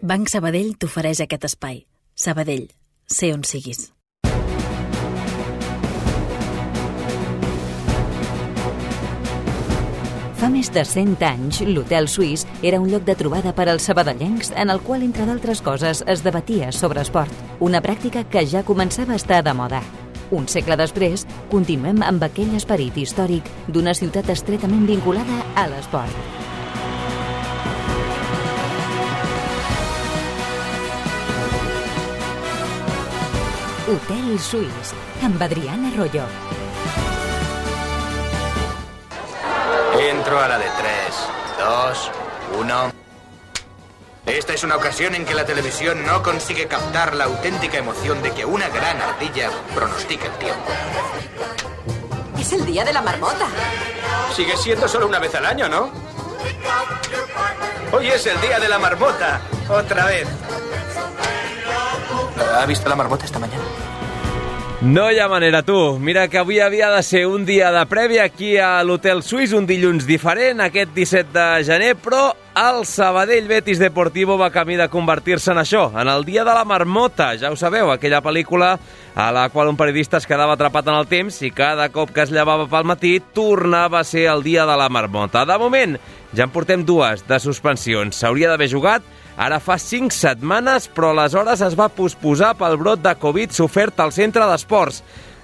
Banc Sabadell t'ofereix aquest espai. Sabadell, sé on siguis. Fa més de 100 anys, l'Hotel Suís era un lloc de trobada per als sabadellencs en el qual, entre d'altres coses, es debatia sobre esport, una pràctica que ja començava a estar de moda. Un segle després, continuem amb aquell esperit històric d'una ciutat estretament vinculada a l'esport. Hotel Suís, amb Adrián Arroyo. Entro a la de 3, 2, 1... Esta es una ocasión en que la televisión no consigue captar la auténtica emoción de que una gran ardilla pronostica el tiempo. Es el día de la marmota. Sigue siendo solo una vez al año, ¿no? Hoy es el día de la marmota. Otra vez. ¿Ha visto la marmota esta mañana? No hi ha manera, tu. Mira que avui havia de ser un dia de prèvia aquí a l'Hotel Suís, un dilluns diferent, aquest 17 de gener, però el Sabadell Betis Deportivo va camí de convertir-se en això, en el dia de la marmota. Ja ho sabeu, aquella pel·lícula a la qual un periodista es quedava atrapat en el temps i cada cop que es llevava pel matí tornava a ser el dia de la marmota. De moment, ja en portem 2 de suspensions. S'hauria d'haver jugat ara fa 5 setmanes, però aleshores es va posposar pel brot de Covid sofert al centre d'esports.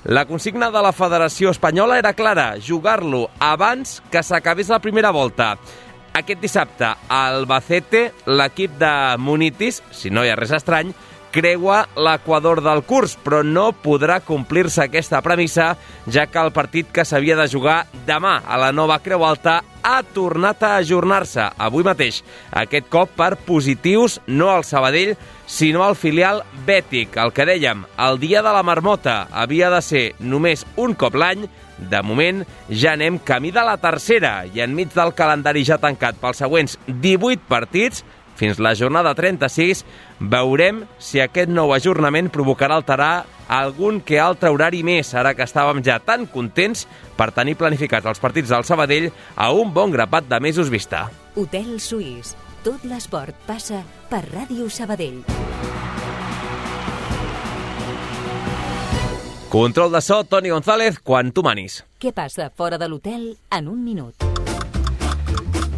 La consigna de la Federació Espanyola era clara, jugar-lo abans que s'acabés la primera volta. Aquest dissabte, a Albacete, l'equip de Munitis, si no hi ha res estrany, creua l'equador del curs, però no podrà complir-se aquesta premissa, ja que el partit que s'havia de jugar demà a la nova Creu Alta ha tornat a ajornar-se avui mateix. Aquest cop per positius no al Sabadell, sinó al filial bètic. El que dèiem, el dia de la marmota havia de ser només un cop l'any. De moment ja anem camí de la tercera i enmig del calendari ja tancat pels següents 18 partits, fins la jornada 36, veurem si aquest nou ajornament provocarà alterar algun que altre horari més, ara que estàvem ja tan contents per tenir planificats els partits del Sabadell a un bon grapat de mesos vista. Hotel Suís. Tot l'esport passa per Ràdio Sabadell. Control de so, Toni González, quan tu manis. Què passa fora de l'hotel en un minut?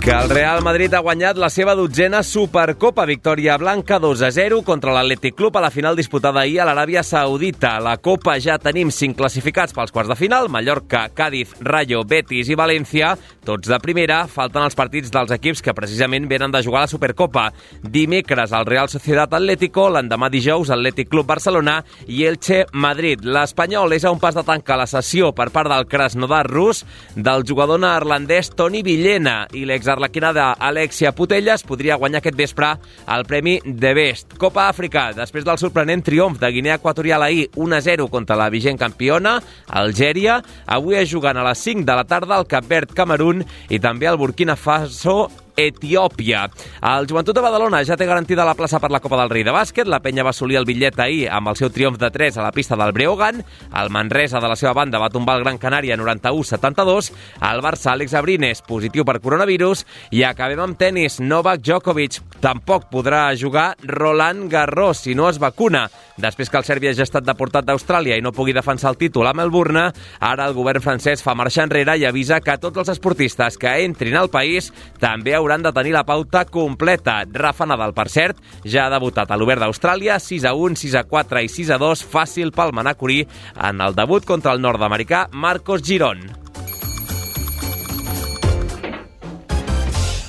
Que el Real Madrid ha guanyat la seva 12a Supercopa, victòria blanca 2-0 contra l'Atlètic Club a la final disputada ahir a l'Aràbia Saudita. A la Copa ja tenim 5 classificats pels quarts de final, Mallorca, Cádiz, Rayo, Betis i València, tots de primera. Falten els partits dels equips que precisament venen de jugar a la Supercopa. Dimecres el Real Sociedad Atlético, l'endemà dijous Atlètic Club Barcelona i Elche Madrid. L'Espanyol és a un pas de tancar la sessió per part del Krasnodar rus del jugador neerlandès Toni Villena i l'arlequina d'Alexia Putellas podria guanyar aquest vespre el premi de Best. Copa Àfrica, després del sorprenent triomf de Guinea Equatorial ahir 1-0 contra la vigent campiona, Algèria, avui es jugant a les 5 de la tarda el Cap Verd Camerún i també el Burkina Faso Etiòpia. El Joventut de Badalona ja té garantida la plaça per la Copa del Rei de bàsquet. La penya va assolir el bitllet ahir amb el seu triomf de 3 a la pista del Breogán. El Manresa, de la seva banda, va tombar el Gran Canària 91-72. El Barça, Àlex Abrines, positiu per coronavirus. I acabem amb tenis. Novak Djokovic tampoc podrà jugar Roland Garros si no es vacuna. Després que el serbi hagi estat deportat d'Austràlia i no pugui defensar el títol a Melbourne, ara el govern francès fa marxa enrere i avisa que tots els esportistes que entrin al país també hauran de tenir la pauta completa. Rafa Nadal, per cert, ja ha debutat a l'Obert d'Austràlia, 6-1, 6-4 i 6-2, fàcil pel manacorí en el debut contra el nord-americà Marcos Girón.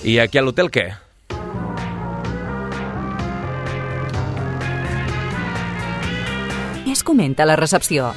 I aquí a l'hotel què? Què es comenta a la recepció?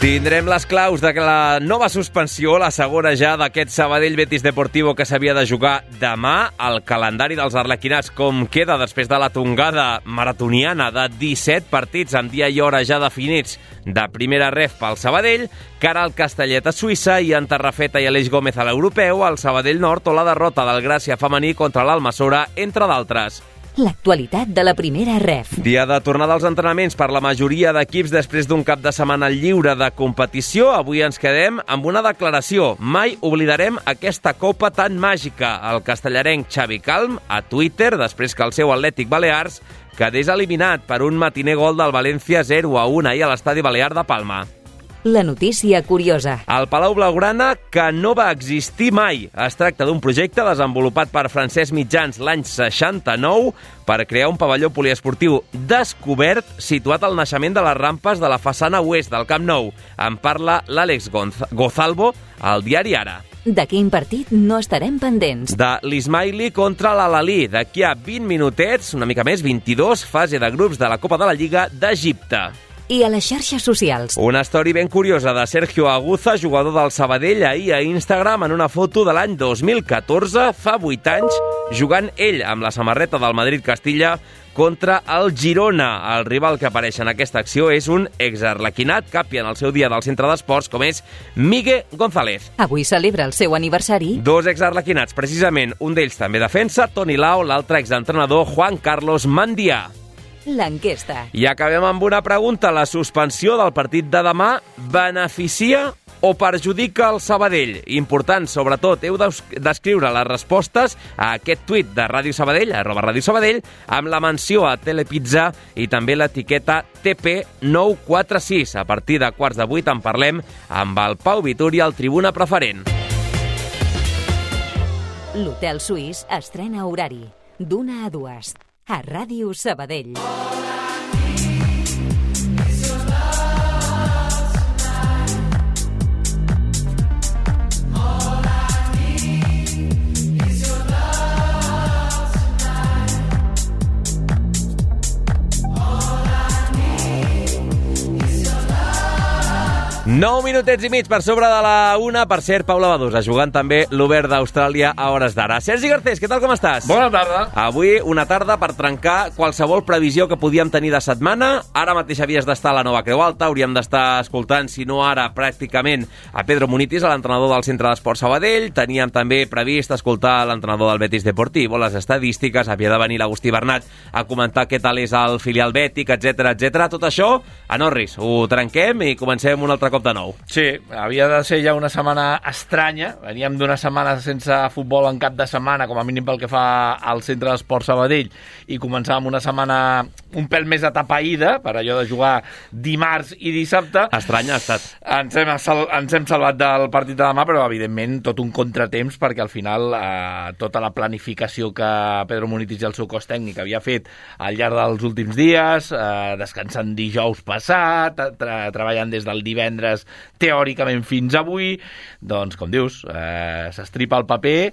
Tindrem les claus de la nova suspensió, la segona ja d'aquest Sabadell Betis Deportivo que s'havia de jugar demà. El calendari dels arlequinats com queda després de la tongada maratoniana de 17 partits amb dia i hora ja definits de primera ref pel Sabadell, cara al Castellet a Suïssa i en Tarrafeta i Aleix Gómez a l'Europeu, al Sabadell Nord o la derrota del Gràcia femení contra l'Almassora, entre d'altres. l'actualitat de la primera ref. Dia de tornada als entrenaments per la majoria d'equips després d'un cap de setmana lliure de competició. Avui ens quedem amb una declaració. Mai oblidarem aquesta copa tan màgica. El castellarenc Xavi Calm a Twitter, després que el seu Atlètic Balears quedés eliminat per un matiner gol del València 0-1 ahir a l'estadi Balear de Palma. La notícia curiosa. El Palau Blaugrana, que no va existir mai. Es tracta d'un projecte desenvolupat per Francesc Mitjans l'any 69 per crear un pavelló poliesportiu descobert situat al naixement de les rampes de la façana oest del Camp Nou. En parla l'Àlex Gozalvo al diari Ara. De quin partit no estarem pendents? De l'Ismaili contra l'Al-Ahly. D'aquí a 20 minutets, una mica més, 22, fase de grups de la Copa de la Lliga d'Egipte. I a les xarxes socials. Una història ben curiosa de Sergio Aguza, jugador del Sabadell, ahir a Instagram en una foto de l'any 2014, fa 8 anys, jugant ell amb la samarreta del Madrid-Castilla contra el Girona. El rival que apareix en aquesta acció és un exarlequinat, capi en el seu dia del centre d'esports, com és Miguel González. Avui celebra el seu aniversari. Dos exarlequinats, precisament. Un d'ells també defensa, Toni Lau, l'altre exentrenador, Juan Carlos Mandià. L'enquesta. I acabem amb una pregunta. La suspensió del partit de demà beneficia o perjudica el Sabadell? Important, sobretot, heu d'escriure les respostes a aquest tuit de Ràdio Sabadell, @Ràdio Sabadell, amb la menció a Telepizza i també l'etiqueta TP946. A partir de 7:45 en parlem amb el Pau Vituri, el tribuna preferent. L'Hotel Suís estrena horari d'1 a 2 a Ràdio Sabadell. Nou minutets i mig per sobre de la 1. Per cert, Paula Badosa, jugant també l'Obert d'Austràlia a hores d'ara. Sergi Garcés, què tal, com estàs? Bona tarda. Avui una tarda per trencar qualsevol previsió que podíem tenir de setmana. Ara mateix havies d'estar a la Nova Creu Alta, hauríem d'estar escoltant, si no ara, pràcticament, a Pedro Munitis, l'entrenador del Centre d'Esports Sabadell. Teníem també previst escoltar l'entrenador del Betis Deportivo, les estadístiques, havia de venir l'Agustí Bernat a comentar què tal és el filial bètic, etc. Tot això, a Norris, ho trenquem i comencem un altre cop de nou. Sí, havia de ser ja una setmana estranya. Veníem d'una setmana sense futbol en cap de setmana, com a mínim pel que fa al Centre d'Esports Sabadell, i començàvem una setmana un pèl més atapeïda, per allò de jugar dimarts i dissabte. Estranya ha estat. Ens hem salvat del partit de demà, però evidentment tot un contratemps, perquè al final tota la planificació que Pedro Munitis i el seu cos tècnic havia fet al llarg dels últims dies, descansant dijous passat, treballant des del divendres teòricament fins avui, doncs, com dius, s'estripa el paper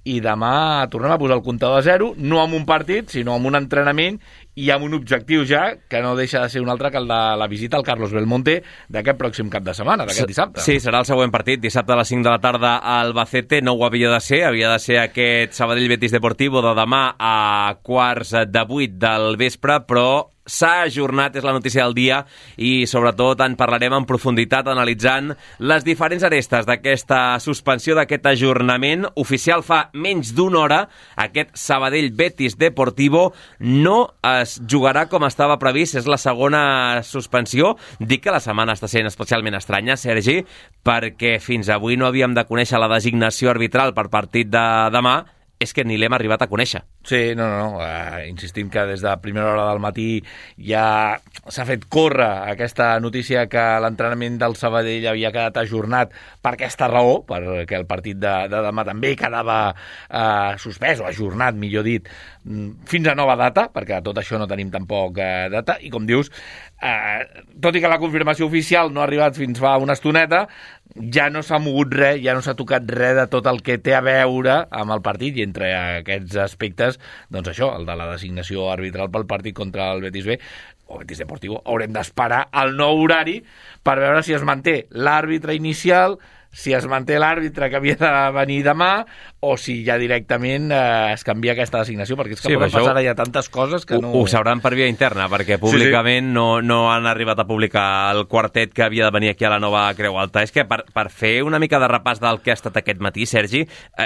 i demà tornem a posar el comptador a zero, no amb un partit, sinó amb un entrenament i amb un objectiu ja, que no deixa de ser un altre que el de la visita al Carlos Belmonte d'aquest pròxim cap de setmana, d'aquest dissabte. Sí, serà el següent partit, dissabte a les 5 de la tarda a Albacete. No ho havia de ser aquest Sabadell Betis Deportivo de demà a 7:45 del vespre, però s'ha ajornat, és la notícia del dia, i sobretot en parlarem en profunditat analitzant les diferents arestes d'aquesta suspensió, d'aquest ajornament oficial fa menys d'una hora. Aquest Sabadell Betis Deportivo no es jugarà com estava previst, és la segona suspensió. Dic que la setmana està sent especialment estranya, Sergi, perquè fins avui no havíem de conèixer la designació arbitral per partit de demà. És que ni l'hem arribat a conèixer. Sí, no. Insistim que des de primera hora del matí ja s'ha fet córrer aquesta notícia que l'entrenament del Sabadell havia quedat ajornat per aquesta raó, perquè el partit de demà també quedava suspès o ajornat, millor dit, fins a nova data, perquè tot això no tenim tampoc data, i com dius, tot i que la confirmació oficial no ha arribat fins fa una estoneta, ja no s'ha mogut res, ja no s'ha tocat res de tot el que té a veure amb el partit, i entre aquests aspectes, doncs això, el de la designació arbitral pel partit contra el Betis B o Betis Deportivo, haurem d'esperar el nou horari per veure si es manté l'àrbitre inicial, si es manté l'àrbitre que havia de venir demà, o si ja directament es canvia aquesta designació, perquè és que poden passar ja tantes coses que no... Ho sabran per via interna, perquè públicament no han arribat a publicar el quartet que havia de venir aquí a la nova Creu Alta. És que per fer una mica de repàs del que ha estat aquest matí, Sergi,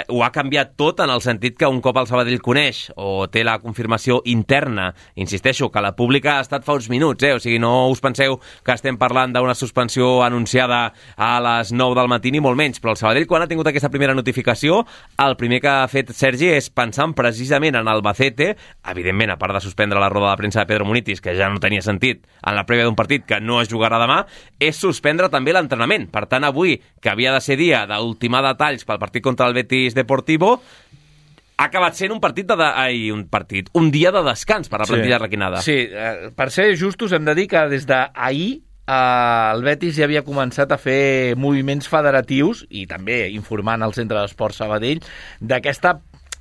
ho ha canviat tot en el sentit que un cop el Sabadell coneix o té la confirmació interna, insisteixo, que la pública ha estat fa uns minuts, o sigui, no us penseu que estem parlant d'una suspensió anunciada a les 9 del matí, ni molt menys, però el Sabadell, quan ha tingut aquesta primera notificació, el primer que ha fet Sergi és pensant precisament en Albacete, evidentment, a part de suspendre la roda de premsa de Pedro Munitis, que ja no tenia sentit en la prèvia d'un partit que no es jugarà demà, és suspendre també l'entrenament. Per tant, avui, que havia de ser dia d'ultimar detalls pel partit contra el Betis Deportivo, ha acabat sent un dia de descans per la plantilla requinada. Sí, per ser justos hem de dir que des d'ahir el Betis ja havia començat a fer moviments federatius i també informant al Centre d'Esports Sabadell d'aquesta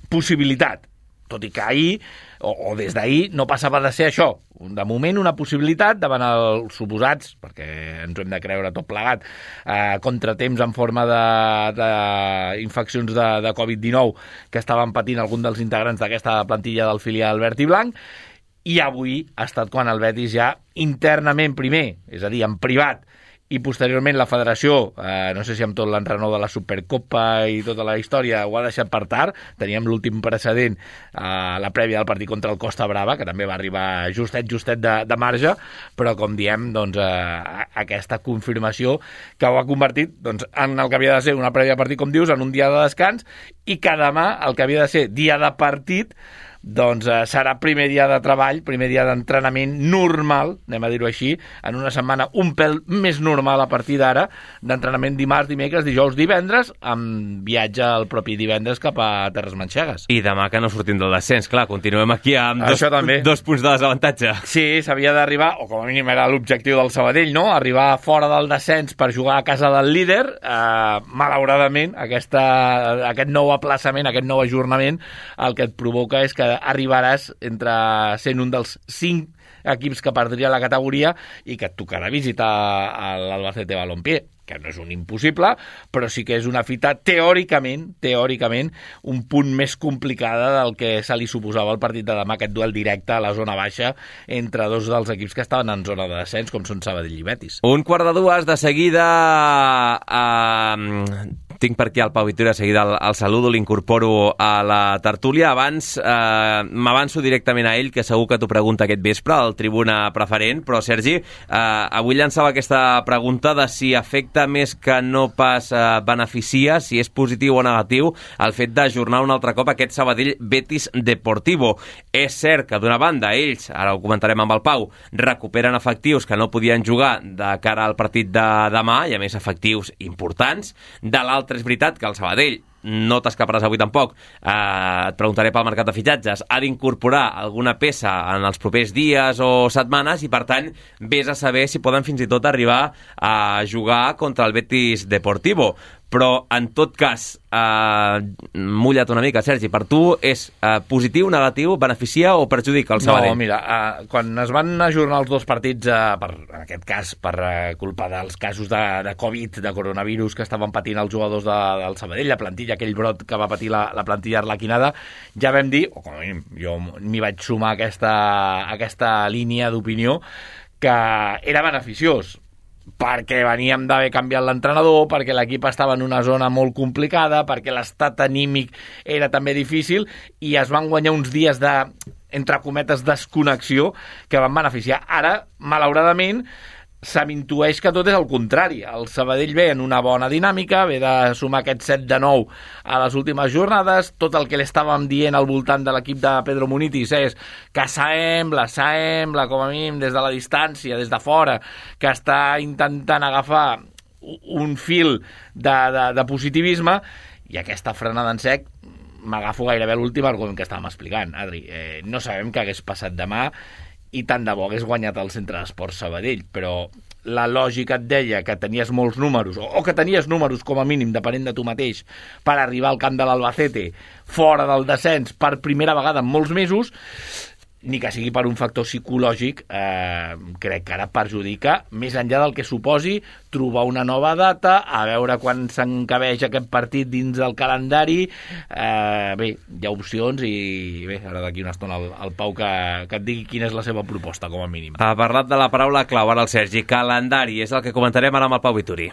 possibilitat, tot i que ahir o des d'ahir no passava de ser això. De moment una possibilitat davant els suposats, perquè ens ho hem de creure tot plegat, contratemps en forma d'infeccions de Covid-19 que estaven patint alguns dels integrants d'aquesta plantilla del filial verd i blanc. I avui ha estat quan el Betis ja internament primer, és a dir, en privat, i posteriorment la federació, no sé si amb tot l'enrenou de la Supercopa i tota la història, ho ha deixat per tard. Teníem l'últim precedent a la prèvia del partit contra el Costa Brava, que també va arribar justet de marge, però com diem, doncs, aquesta confirmació que ho ha convertit en el que havia de ser una prèvia de partit, com dius, en un dia de descans, i que demà el que havia de ser dia de partit doncs serà primer dia de treball, primer dia d'entrenament normal, anem a dir-ho així, en una setmana un pèl més normal a partir d'ara, d'entrenament dimarts, dimecres, dijous, divendres, amb viatge el propi divendres cap a Terres Manxegues. I demà que no sortim del descens, clar, continuem aquí amb dos punts de desavantatge. Sí, s'havia d'arribar, o com a mínim era l'objectiu del Sabadell, no? Arribar fora del descens per jugar a casa del líder. Malauradament, aquest nou aplaçament, aquest nou ajornament, el que et provoca és que arribaràs entre sent un dels 5 equips que perdria la categoria i que et tocarà visitar l'Albacete Balompié, que no és un impossible, però sí que és una fita teòricament, un punt més complicada del que se li suposava el partit de demà, aquest duel directe a la zona baixa entre dos dels equips que estaven en zona de descens, com són Sabadell i Betis. 1:45, de seguida... Tinc per aquí el Pau Vitória, de seguida el saludo, l'incorporo a la tertúlia. Abans m'avanço directament a ell, que segur que t'ho pregunta aquest vespre, al Tribuna Preferent, però Sergi, avui llançava aquesta pregunta de si afecta més que no pas beneficia, si és positiu o negatiu, el fet d'ajornar un altre cop aquest Sabadell Betis Deportivo. És cert que d'una banda ells, ara ho comentarem amb el Pau, recuperen efectius que no podien jugar de cara al partit de demà, i a més efectius importants. De l'altre, és veritat que el Sabadell, no t'escaparàs avui tampoc, et preguntaré pel mercat de fitxatges, ha d'incorporar alguna peça en els propers dies o setmanes i, per tant, vés a saber si poden fins i tot arribar a jugar contra el Betis Deportivo. Però, en tot cas, mulla't una mica, Sergi, per tu és positiu, negatiu, beneficia o perjudica el Sabadell? No, mira, quan es van ajornar els dos partits, en aquest cas per culpa dels casos de Covid, de coronavirus que estaven patint els jugadors del Sabadell, la plantilla, aquell brot que va patir la plantilla arlequinada, ja vam dir, o com a mínim jo m'hi vaig sumar a aquesta línia d'opinió, que era beneficiós, perquè veníem d'haver canviat l'entrenador, perquè l'equip estava en una zona molt complicada, perquè l'estat anímic era també difícil, i es van guanyar uns dies de, entre cometes, desconnexió que van beneficiar. Ara, malauradament, se m'intueix que tot és el contrari. El Sabadell ve en una bona dinàmica, ve de sumar aquest 7-9 a les últimes jornades. Tot el que li estàvem dient al voltant de l'equip de Pedro Munitis és que sembla, com a mínim des de la distància, des de fora, que està intentant agafar un fil de positivisme, i aquesta frenada en sec m'agafo gairebé l'últim argument que estàvem explicant, Adri. No sabem què hagués passat demà, i tant de bo hagués guanyat el Centre d'Esports Sabadell, però la lògica et deia que tenies molts números, o que tenies números com a mínim, depenent de tu mateix, per arribar al camp de l'Albacete fora del descens per primera vegada en molts mesos, ni que sigui per un factor psicològic, crec que ara perjudica, més enllà del que suposi, trobar una nova data, a veure quan s'encabeix aquest partit dins del calendari. Bé, hi ha opcions i bé, ara d'aquí una estona el Pau que et digui quina és la seva proposta, com a mínim. Ha parlat de la paraula clau, ara el Sergi. Calendari, és el que comentarem ara amb el Pau Vituri.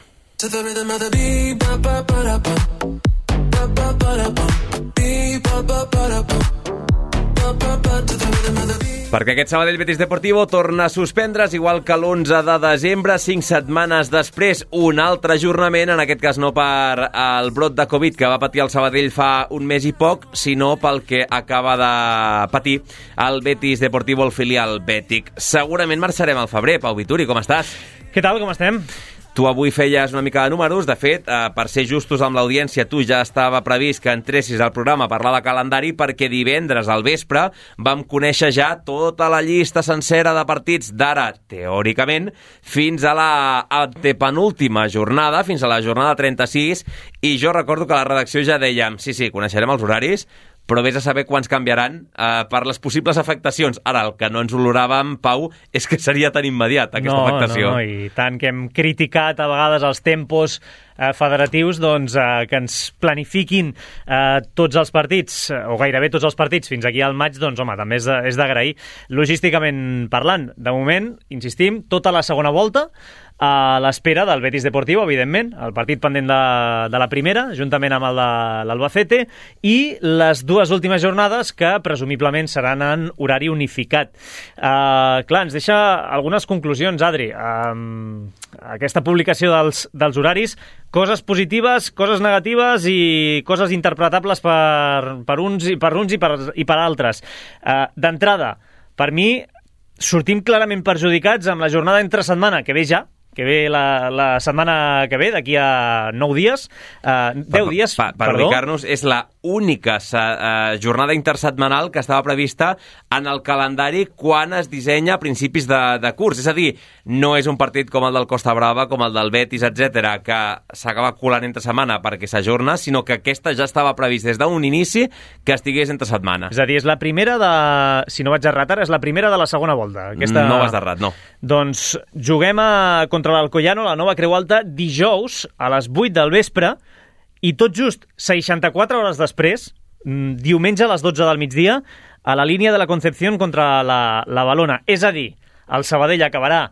Perquè aquest Sabadell Betis Deportivo torna a suspendre's, igual que l'11 de desembre, 5 setmanes després, un altre ajornament, en aquest cas no per el brot de Covid que va patir el Sabadell fa un mes i poc, sinó pel que acaba de patir el Betis Deportivo, el filial bètic. Segurament marxarem al febrer. Pau Vituri, com estàs? Què tal, com estem? Tu avui feies una mica de números. De fet, per ser justos amb l'audiència, tu ja estava previst que entressis al programa a parlar de calendari, perquè divendres al vespre vam conèixer ja tota la llista sencera de partits d'ara, teòricament, fins a la antepenúltima jornada, fins a la jornada 36, i jo recordo que a la redacció ja dèiem, sí, coneixerem els horaris, però vés a saber quants canviaran per les possibles afectacions. Ara, el que no ens oloràvem, Pau, és que seria tan immediat, aquesta afectació. No, i tant que hem criticat a vegades els tempos federatius, doncs, que ens planifiquin tots els partits, o gairebé tots els partits, fins aquí al maig, doncs, home, també és d'agrair. Logísticament parlant, de moment, insistim, tota la segona volta, a l'espera del Betis Deportivo, evidentment, el partit pendent de la primera, juntament amb el de l'Albacete, i les dues últimes jornades que presumiblement seran en horari unificat. Clar, ens deixa algunes conclusions, Adri. Aquesta publicació dels horaris, coses positives, coses negatives i coses interpretables per uns i per altres. D'entrada, per mi, sortim clarament perjudicats amb la jornada entre setmana, que ve la setmana que ve, d'aquí a 9 dies, 10 dies, per ubicar-nos, és la única jornada intersetmanal que estava prevista en el calendari quan es dissenya a principis de curs. És a dir, no és un partit com el del Costa Brava, com el del Betis, etc, que s'acaba colant entre setmana perquè s'ajorna, sinó que aquesta ja estava previst des d'un inici que estigués entre setmana. És a dir, és la primera de... Si no vaig errat ara, és la primera de la segona volta. No vas errat, no. Doncs juguem contra l'Alcoyano, la Nova Creu Alta, dijous a les 8 del vespre, i tot just 64 hores després, diumenge a les 12 del migdia, a la línia de la Concepción contra la Valona. És a dir, el Sabadell acabarà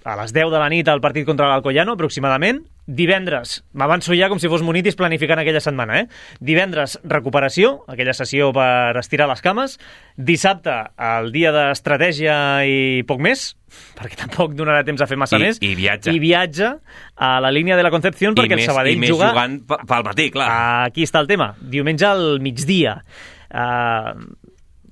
a les 10 de la nit el partit contra l'Alcoyano, aproximadament. Divendres, m'avanço ja com si fos Monitis planificant aquella setmana, Divendres, recuperació, aquella sessió per estirar les cames. Dissabte, el dia d'estratègia i poc més, perquè tampoc donarà temps a fer massa més. I viatge. I viatge a la línia de la Concepción perquè el Sabadell juga... I més juga... jugant pel matí, clar. Aquí està el tema. Diumenge al migdia.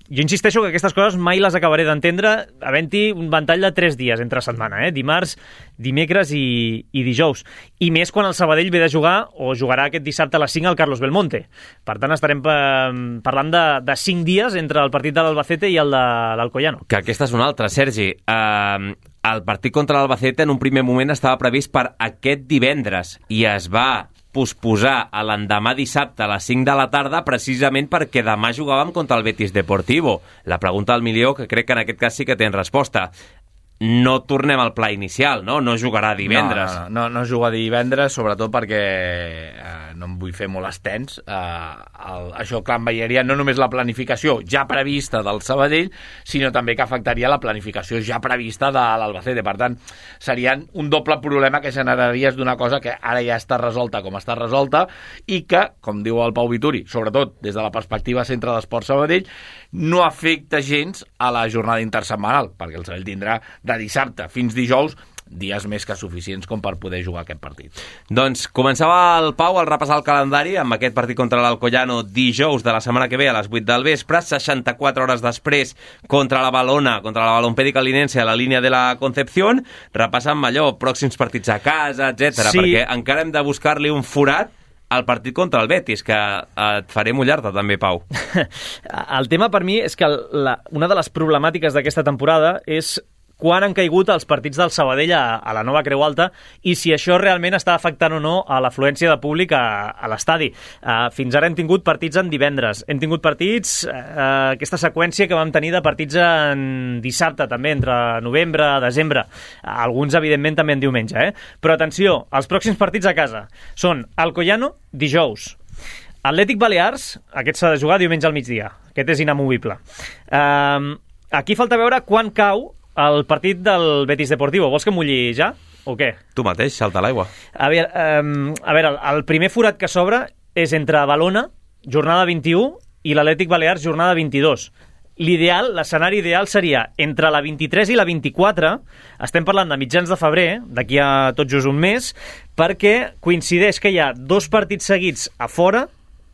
Jo insisteixo que aquestes coses mai les acabaré d'entendre havent-hi un ventall de 3 dies entre setmana, dimarts, dimecres i dijous. I més quan el Sabadell ve de jugar o jugarà aquest dissabte a les 5 al Carlos Belmonte. Per tant, estarem parlant de 5 dies entre el partit de l'Albacete i el de l'Alcoyano. Que aquesta és una altra, Sergi. El partit contra l'Albacete en un primer moment estava previst per aquest divendres i es va posposar a l'endemà dissabte a les 5 de la tarda precisament perquè demà jugàvem contra el Betis Deportivo. La pregunta del milió, que crec que en aquest cas sí que tens resposta. No tornem al pla inicial, no? No jugarà divendres. No juga divendres, sobretot perquè no em vull fer molt extens. Això, clar, enveiaria no només la planificació ja prevista del Sabadell, sinó també que afectaria la planificació ja prevista de l'Albacete. Per tant, serien un doble problema que generaries d'una cosa que ara ja està resolta com està resolta i que, com diu el Pau Vituri, sobretot des de la perspectiva Centre d'Esports Sabadell, no afecta gens a la jornada intersetmanal, perquè el Sabadell tindrà de dissabte fins dijous dies més que suficients com per poder jugar aquest partit. Doncs començava el Pau al repassar el calendari amb aquest partit contra l'Alcoyano dijous de la setmana que ve a les 8 del vespre, 64 hores després contra la Valona, contra la Balompédica Linense a la línia de la Concepción, repassant allò, pròxims partits a casa, etc. Sí. Perquè encara hem de buscar-li un forat al partit contra el Betis, que et faré mullar-te també, Pau. El tema per mi és que una de les problemàtiques d'aquesta temporada és quan han caigut els partits del Sabadell a la nova Creu Alta i si això realment està afectant o no a l'afluència de públic a l'estadi. Fins ara hem tingut partits en divendres, hem tingut partits, aquesta seqüència que vam tenir de partits en dissabte també, entre novembre i desembre, alguns evidentment també en diumenge, però atenció, els pròxims partits a casa són Alcoyano dijous, Atlètic Balears, aquest s'ha de jugar diumenge al migdia, aquest és inamovible. Aquí falta veure quan cau el partit del Betis Deportivo. Vols que mulli ja o què? Tu mateix, salta l'aigua. A veure, el primer forat que s'obre és entre Valona, jornada 21, i l'Atlètic Balears, jornada 22. L'ideal, l'escenari ideal seria entre la 23 i la 24, estem parlant de mitjans de febrer, d'aquí a tot just un mes, perquè coincideix que hi ha 2 partits seguits a fora,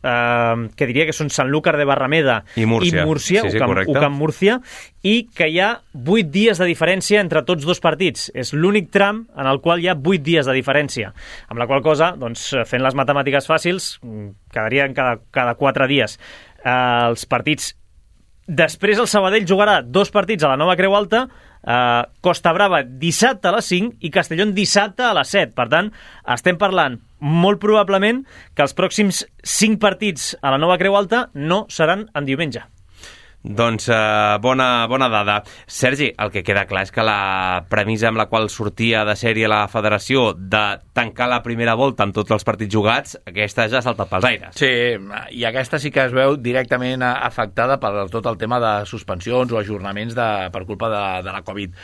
que diria que són Sanlúcar de Barrameda i Múrcia, sí, UCAM Múrcia, i que hi ha 8 dies de diferència entre tots 2 partits. És l'únic tram en el qual hi ha 8 dies de diferència, amb la qual cosa, doncs, fent les matemàtiques fàcils, quedarien cada 4 dies. Els partits. Després el Sabadell jugarà 2 partits a la nova Creu Alta, Costa Brava dissabte a les 5 i Castellón dissabte a les 7. Per tant, estem parlant molt probablement que els pròxims 5 partits a la nova Creu Alta no seran en diumenge. Doncs bona dada. Sergi, el que queda clar és que la premissa amb la qual sortia de sèrie la federació de tancar la primera volta amb tots els partits jugats, aquesta ja ha saltat pels aires. Sí, i aquesta sí que es veu directament afectada per tot el tema de suspensions o ajornaments per culpa de la Covid.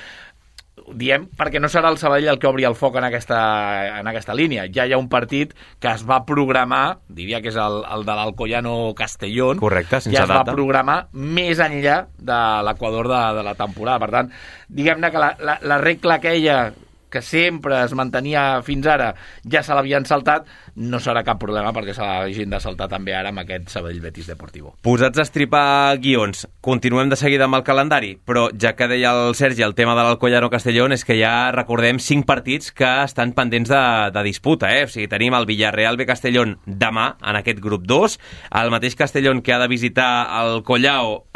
Diem perquè no serà el Sabadell el que obri el foc en aquesta línia. Ja hi ha un partit que es va programar, diria que és el de l'Alcoyano Castellón. Correcte, sense ja es data. va programar més enllà de l'Equador de la temporada. Per tant, diguem-ne que la regla aquella que sempre es mantenia fins ara, ja se l'havien saltat, no serà cap problema perquè se l'hagin de saltar també ara amb aquest Sabadell Betis Deportivo. Posats a estripar guions, continuem de seguida amb el calendari, però ja que deia el Sergi el tema de l'Alcoyano Castellón, és que ja recordem 5 partits que estan pendents de disputa, O sigui, tenim el Villarreal B Castellón demà en aquest grup 2, el mateix Castellón que ha de visitar el Collao,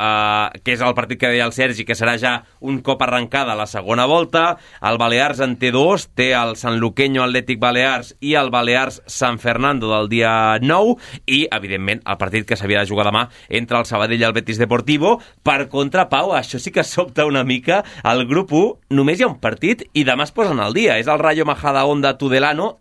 que és el partit que deia el Sergi, que serà ja un cop arrencada la segona volta, el Balears en T2, té el Sanluqueño Atlètic Balears i el Balears San Fernando del dia 9 i, evidentment, el partit que s'havia de jugar demà entre el Sabadell i el Betis Deportivo. Per contra, Pau, això sí que sobta una mica. Al grup 1 només hi ha un partit i demà es posen al dia. És el Rayo Majadahonda Tudelano.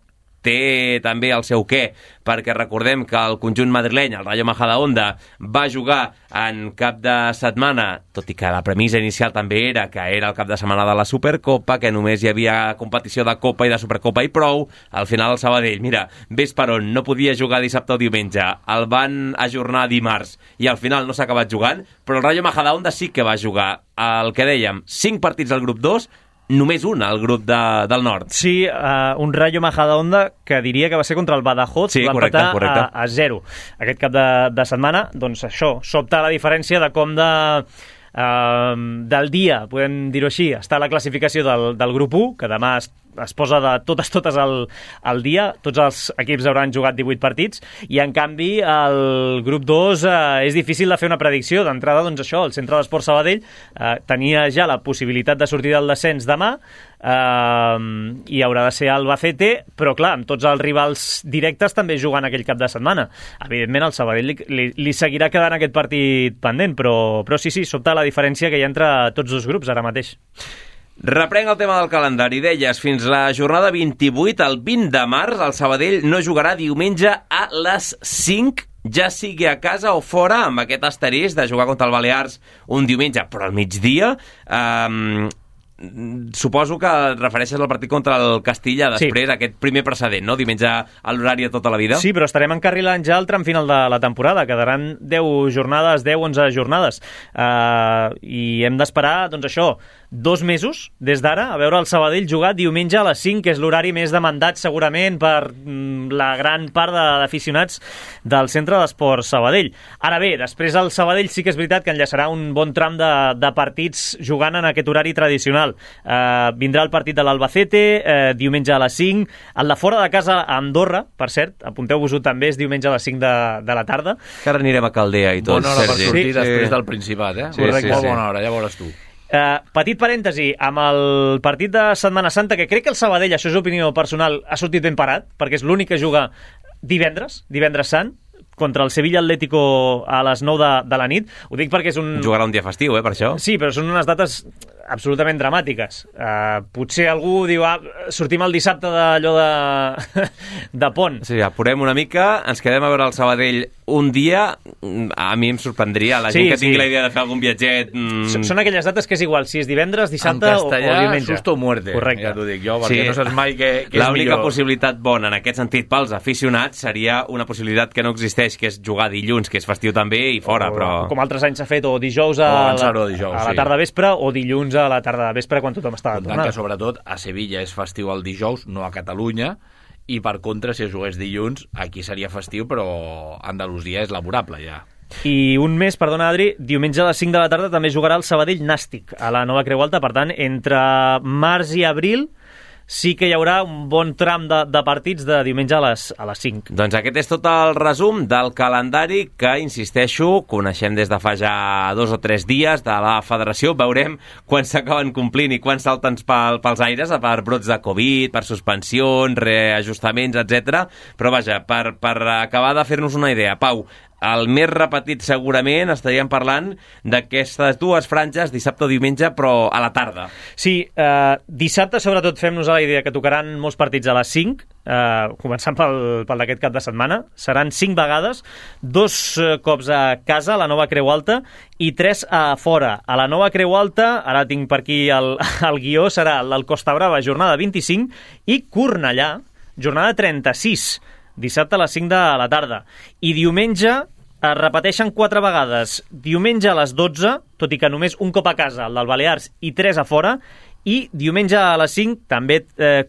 Té també el seu què, perquè recordem que el conjunt madrileny, el Rayo Majadahonda, va jugar en cap de setmana, tot i que la premissa inicial també era que era el cap de setmana de la Supercopa, que només hi havia competició de Copa i de Supercopa i prou. Al final el Sabadell, mira, ves per on, no podia jugar dissabte o diumenge, el van ajornar dimarts i al final no s'ha acabat jugant, però el Rayo Majadahonda sí que va jugar el que dèiem, 5 partits al grup 2, només un al grup del nord. Sí, un Rayo Majadahonda que diria que va ser contra el Badajoz, sí, va empatar a 0 aquest cap de setmana. Doncs això, sobta la diferència de com del dia, podem dir-ho així, està la classificació del grup 1, que demà es posa de totes al dia, tots els equips hauran jugat 18 partits, i en canvi el grup 2 és difícil de fer una predicció. D'entrada, doncs això, el Centre d'Esport Sabadell tenia ja la possibilitat de sortir del descens demà, i haurà de ser Albacete, però clar, amb tots els rivals directes també jugant aquell cap de setmana. Evidentment el Sabadell li seguirà quedant aquest partit pendent, però sí, sobta la diferència que hi ha entre tots dos grups ara mateix. Reprenc el tema del calendari. Deies, fins la jornada 28, el 20 de març, el Sabadell no jugarà diumenge a les 5, ja sigui a casa o fora, amb aquest asterisc de jugar contra el Balears un diumenge, però al migdia. Suposo que et refereixes al partit contra el Castilla després, aquest primer precedent, no? Diumenge a l'horari de tota la vida. Sí, però estarem encarrilant ja el tram final de la temporada. Quedaran 10 jornades, 10-11 jornades. I hem d'esperar, doncs això, 2 mesos des d'ara a veure el Sabadell jugar diumenge a les 5, que és l'horari més demandat segurament per la gran part d'aficionats del Centre d'Esport Sabadell. Ara bé, després el Sabadell sí que és veritat que enllaçarà un bon tram de partits jugant en aquest horari tradicional. Vindrà el partit de l'Albacete diumenge a les 5, el de fora de casa a Andorra, per cert, apunteu-vos-ho també, és diumenge a les 5 de la tarda. Que ara anirem a Caldea i tot. Bona hora per sortir després del Principat, Correcte, molt bona hora, ja veuràs tu. Petit parèntesi, amb el partit de Setmana Santa, que crec que el Sabadell, això és opinió personal, ha sortit ben parat, perquè és l'únic que juga divendres sant, contra el Sevilla Atlético a les 9 de la nit. Ho dic perquè és un... Jugarà un dia festiu, per això. Sí, però són unes dates absolutament dramàtiques. Potser algú diu, sortim el dissabte d'allò de pont. Sí, apurem una mica, ens quedem a veure el Sabadell un dia, a mi em sorprendria. La gent que tingui la idea de fer algun viatget... Són aquelles dates que és igual, si és divendres, dissabte o diumenge. Susto o muerte. Correcte. Ja t'ho dic jo, perquè no saps mai què és millor. L'única possibilitat bona en aquest sentit pels aficionats seria una possibilitat que no existeix, que és jugar dilluns, que és festiu també, i fora, però... Com altres anys s'ha fet, o dijous a la tarda vespre, o dilluns a la tarda vespre, quan tothom estava tornant. Que sobretot a Sevilla és festiu el dijous, no a Catalunya, i per contra, si es jugués dilluns, aquí seria festiu, però Andalusia és laborable ja. I un mes, perdona Adri, diumenge a les 5 de la tarda també jugarà el Sabadell Nàstic a la Nova Creu Alta, per tant, entre març i abril sí que hi haurà un bon tram de partits de diumenge a les 5. Doncs aquest és tot el resum del calendari que, insisteixo, coneixem des de fa ja 2 o 3 dies de la federació. Veurem quan s'acaben complint i quan salten pels aires per brots de Covid, per suspensions, reajustaments, etc. Però vaja, per acabar de fer-nos una idea, Pau, el més repetit segurament estaríem parlant d'aquestes dues franges, dissabte o diumenge, però a la tarda. Sí, dissabte sobretot fem-nos a la idea que tocaran molts partits a les 5, començant pel d'aquest cap de setmana. Seran 5 vegades, 2 cops a casa, a la Nova Creu Alta, i 3 a fora. A la Nova Creu Alta, ara tinc per aquí el guió, serà el Costa Brava, jornada 25, i Cornellà, jornada 36, dissabte a les 5 de la tarda. I diumenge es repeteixen 4 vegades. Diumenge a les 12, tot i que només un cop a casa, el del Balears, i 3 a fora. I diumenge a les 5, també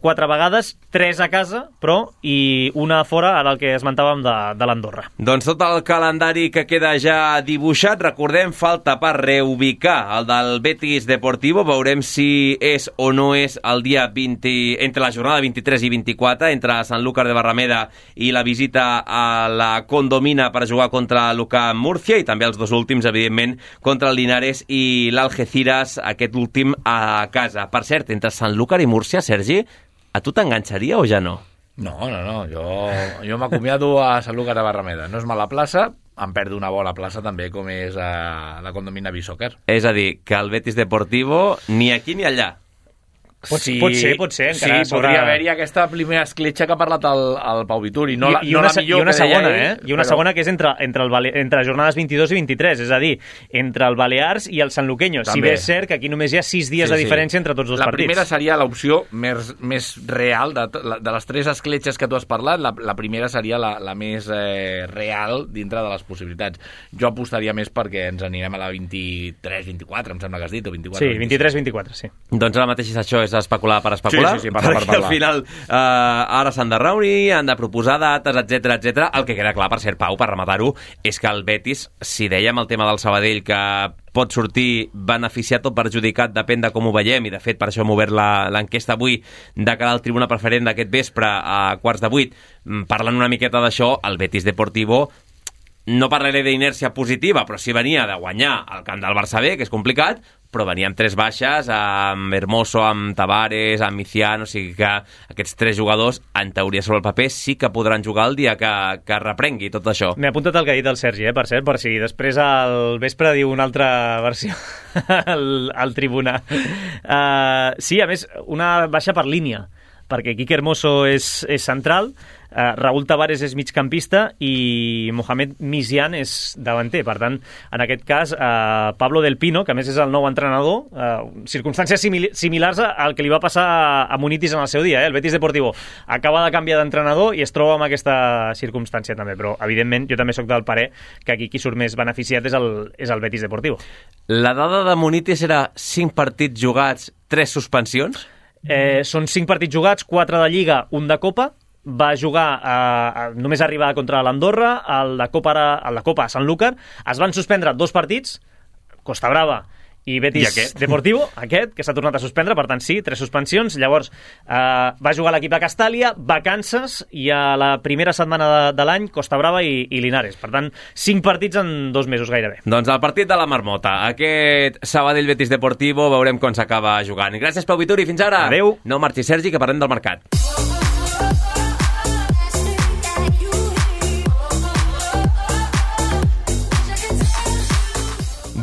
4 vegades, 3 a casa, però i una a fora, ara el que esmentàvem de l'Andorra. Doncs tot el calendari que queda ja dibuixat, recordem, falta per reubicar el del Betis Deportivo, veurem si és o no és el dia 20, entre la jornada 23 i 24, entre Sanlúcar de Barrameda i la visita a la Condomina per jugar contra l'UCAM Múrcia, i també els dos últims, evidentment, contra el Linares i l'Algeciras, aquest últim a casa. Per cert, entre Sanlúcar i Múrcia, Sergi, a tu t'enganxaria o ja no? No, jo m'acomiado a Sanlúcar de Barrameda. No és mala plaça, em perdo una bona plaça també, com és a la Condomina Beach-Soccer. És a dir, que el Betis Deportivo ni aquí ni allà. Pot ser. Encara sí, podria haver-hi aquesta primera escletxa que ha parlat el Pau Vituri. No la millor i una segona, I una segona que és entre jornades 22 i 23, és a dir, entre el Balears i el Sanluqueño. Si bé és cert que aquí només hi ha 6 dies de diferència entre tots dos partits. La primera seria l'opció més real de les 3 escletxes que tu has parlat. La primera seria la més real dintre de les possibilitats. Jo apostaria més perquè ens anirem a la 23-24, em sembla que has dit, o 24. Sí, 23-24, sí. Doncs ara mateix és això, és especular per especular, sí, perquè al final ara s'han de reunir, han de proposar dates, etc. El que queda clar, per cert, Pau, per rematar-ho, és que el Betis, si dèiem el tema del Sabadell, que pot sortir beneficiat o perjudicat, depèn de com ho veiem, i de fet per això hem obert l'enquesta avui de cara al tribuna preferent d'aquest vespre a 7:15, parlant una miqueta d'això, el Betis Deportivo no parlaré d'inèrcia positiva, però sí venia de guanyar al camp del Barça B, que és complicat, però venia amb 3 baixes, amb Hermoso, amb Tavares, amb Micián, o sigui que aquests 3 jugadors, en teoria sobre el paper, sí que podran jugar el dia que reprengui tot això. M'he apuntat el que ha dit el Sergi, per cert, per si després al vespre diu una altra versió al tribuna. Sí, a més, una baixa per línia, perquè Quique Hermoso és central, Raúl Tavares és migcampista i Mohamed Micián és davanter. Per tant, en aquest cas, Pablo Del Pino, que a més és el nou entrenador, circumstàncies similars al que li va passar a Munitis en el seu dia. El Betis Deportivo acaba de canviar d'entrenador i es troba amb aquesta circumstància també, però evidentment jo també sóc del parer que aquí qui surt més beneficiat és el Betis Deportivo. La dada de Munitis era 5 partits jugats, 3 suspensions? Són 5 partits jugats, 4 de Lliga, 1 de Copa. Va jugar només arribar contra l'Andorra, el de Copa a Sanlúcar. Es van suspendre 2 partits, Costa Brava i Betis Deportivo, aquest, que s'ha tornat a suspendre, per tant sí, 3 suspensions. Llavors va jugar l'equip de Castàlia, vacances, i a la primera setmana de l'any Costa Brava i Linares. Per tant, 5 partits en 2 mesos gairebé. Doncs el partit de la Marmota, aquest Sabadell Betis Deportivo, veurem com s'acaba jugant. Gràcies, Pau Vituri, fins ara. Adéu. No marxi, Sergi, que parlem del mercat.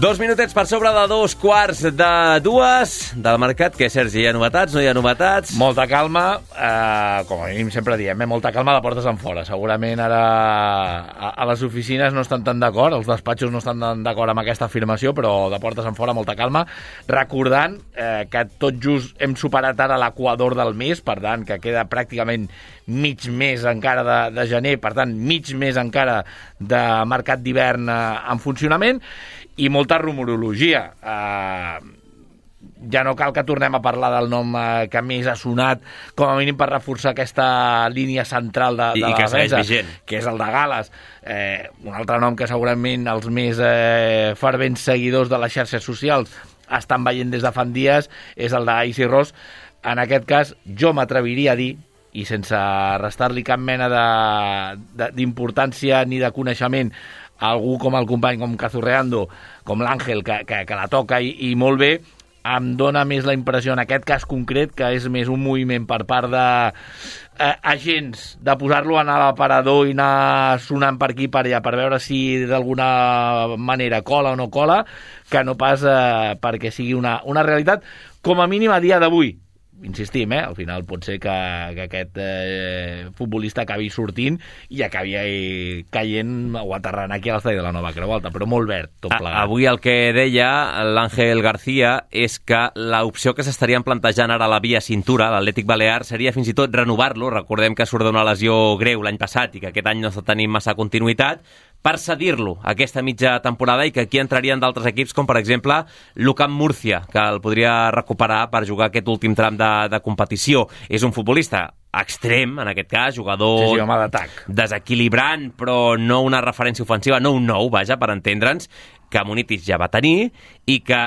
2 minutets per sobre de 2:15 del mercat. Què, Sergi, hi ha novetats? No hi ha novetats? Molta calma, com a mínim sempre diem, molta calma de portes en fora. Segurament ara a les oficines no estan tan d'acord, els despatxos no estan tan d'acord amb aquesta afirmació, però de portes en fora molta calma. Recordant que tot just hem superat ara l'equador del mes, per tant, que queda pràcticament mig mes encara de gener, per tant, mig mes encara de mercat d'hivern en funcionament, i molta rumorologia. Ja no cal que tornem a parlar del nom que més ha sonat, com a mínim per reforçar aquesta línia central de la defensa, que és el de Gales. Un altre nom que segurament els més fervents seguidors de les xarxes socials estan veient des de fa dies és el d'Aisy Ross. En aquest cas, jo m'atreviria a dir, i sense restar-li cap mena d'importància ni de coneixement, algú com el company, com Cazurreando, com l'Àngel, que la toca i molt bé, em dona més la impressió, en aquest cas concret, que és més un moviment per part d'agents, de posar-lo en l'aparador i anar sonant per aquí i per allà, per veure si d'alguna manera cola o no cola, que no pas perquè sigui una realitat, com a mínim a dia d'avui. Insistim, al final pot ser que aquest futbolista acabi sortint i acabi caient o aterrant aquí a l'estadi de la Nova Creu Alta, però molt verd, tot plegat. Avui el que deia l'Àngel García és que l'opció que s'estarien plantejant ara a la via cintura, l'Atlètic Balear, seria fins i tot renovar-lo. Recordem que surt d'una lesió greu l'any passat i que aquest any no està tenint massa continuïtat, per cedir-lo aquesta mitja temporada, i que aquí entrarien d'altres equips, com per exemple l'UCAM Múrcia, que el podria recuperar per jugar aquest últim tram de competició. És un futbolista extrem, en aquest cas, jugador home d'atac, desequilibrant, però no una referència ofensiva, no un nou, vaja, per entendre'ns, que Munitis ja va tenir i que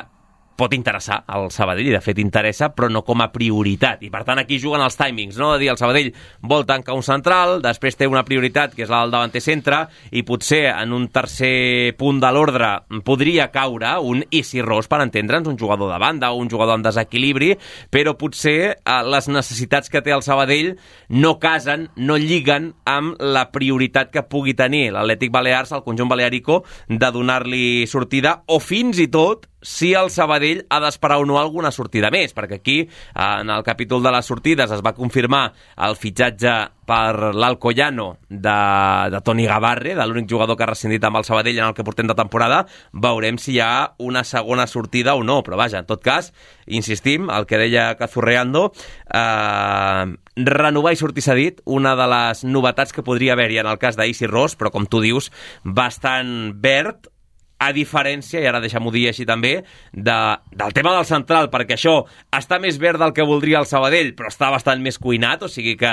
pot interessar al Sabadell, i de fet interessa, però no com a prioritat. I per tant aquí juguen els timings, no? De dir, el Sabadell vol tancar un central, després té una prioritat que és la del davanter centre, i potser en un tercer punt de l'ordre podria caure un Isi Ross, per entendre'ns, un jugador de banda o un jugador en desequilibri, però potser les necessitats que té el Sabadell no casen, no lliguen amb la prioritat que pugui tenir l'Atlètic Balears, el conjunt balearico, de donar-li sortida, o fins i tot si el Sabadell ha d'esperar o no alguna sortida més, perquè aquí, en el capítol de les sortides, es va confirmar el fitxatge per l'Alcoyano de Toni Gavarre, de l'únic jugador que ha rescindit amb el Sabadell en el que portem de temporada. Veurem si hi ha una segona sortida o no, però vaja, en tot cas, insistim, el que deia Cazurreando, renovar i sortir cedit, una de les novetats que podria haver-hi en el cas d'Aisy Ross, però com tu dius, bastant verd, a diferència, i ara deixa'm-ho dir així també, del tema del central, perquè això està més verd del que voldria el Sabadell, però està bastant més cuinat, o sigui que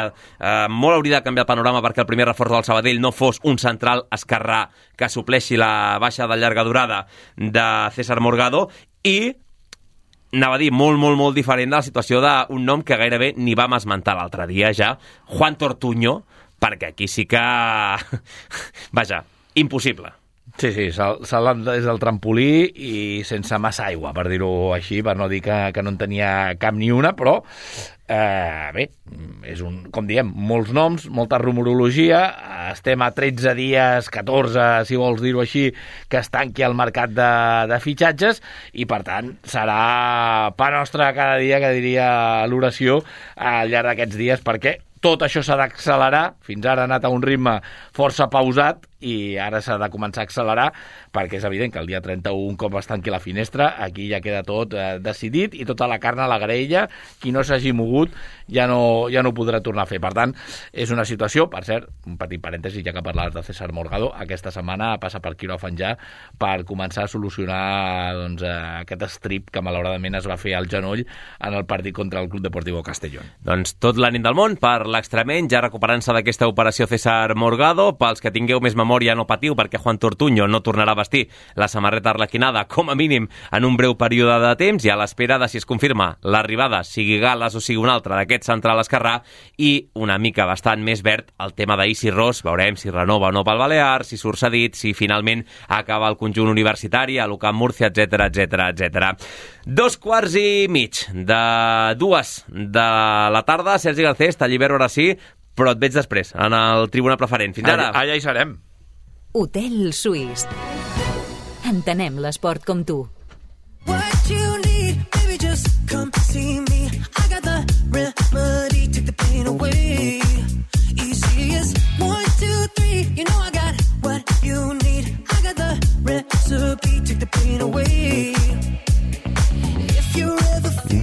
molt hauria de canviar el panorama perquè el primer reforç del Sabadell no fos un central esquerrà que supleixi la baixa de llarga durada de César Morgado, i anava a dir, molt, molt, molt diferent de la situació d'un nom que gairebé ni vam esmentar l'altre dia ja, Juan Tortuño, perquè aquí sí que... vaja, impossible. Sí, se l'ha des del trampolí i sense massa aigua, per dir-ho així, per no dir que no en tenia cap ni una, però bé, és com diem, molts noms, molta rumorologia, estem a 13 dies, 14, si vols dir-ho així, que es tanqui el mercat de fitxatges, i per tant serà pa nostre cada dia, que diria l'oració, al llarg d'aquests dies, perquè tot això s'ha d'accelerar. Fins ara ha anat a un ritme força pausat i ara s'ha de començar a accelerar, perquè és evident que el dia 31, com es tanqui la finestra, aquí ja queda tot decidit i tota la carn a la graella. Qui no s'hagi mogut ja no ho podrà tornar a fer. Per tant, és una situació, per cert, un petit parèntesi, ja que parlaves de César Morgado, aquesta setmana passa per quiròfan ja per començar a solucionar aquest estrip que malauradament es va fer al genoll en el partit contra el Club Deportivo Castellón. Doncs tot l'ànim del món per l'extremeny, ja recuperant-se d'aquesta operació César Morgado. Pels que tingueu més memòria memòria no patiu, perquè Juan Tortuño no tornarà a vestir la samarreta arlequinada, com a mínim en un breu període de temps, i a l'espera de si es confirma l'arribada, sigui Gales o sigui un altre, d'aquest central esquerrà, i una mica bastant més verd el tema d'Isi Ros. Veurem si renova o no pel Balear, si surt cedit, si finalment acaba el conjunt universitari, a l'UCAM Múrcia, etc etc. 2:15 de 2 de la tarda. Sergi Garcés, t'allibero ara sí, però et veig després, en el Tribuna Preferent. Fins ara. Allà hi serem. Hotel Suís. Entenem l'esport com tu. What you need, baby, just come see me. I got the remedy, take the pain away. Easy as 1, 2, 3, you know I got what you need. I got the recipe, take the pain away.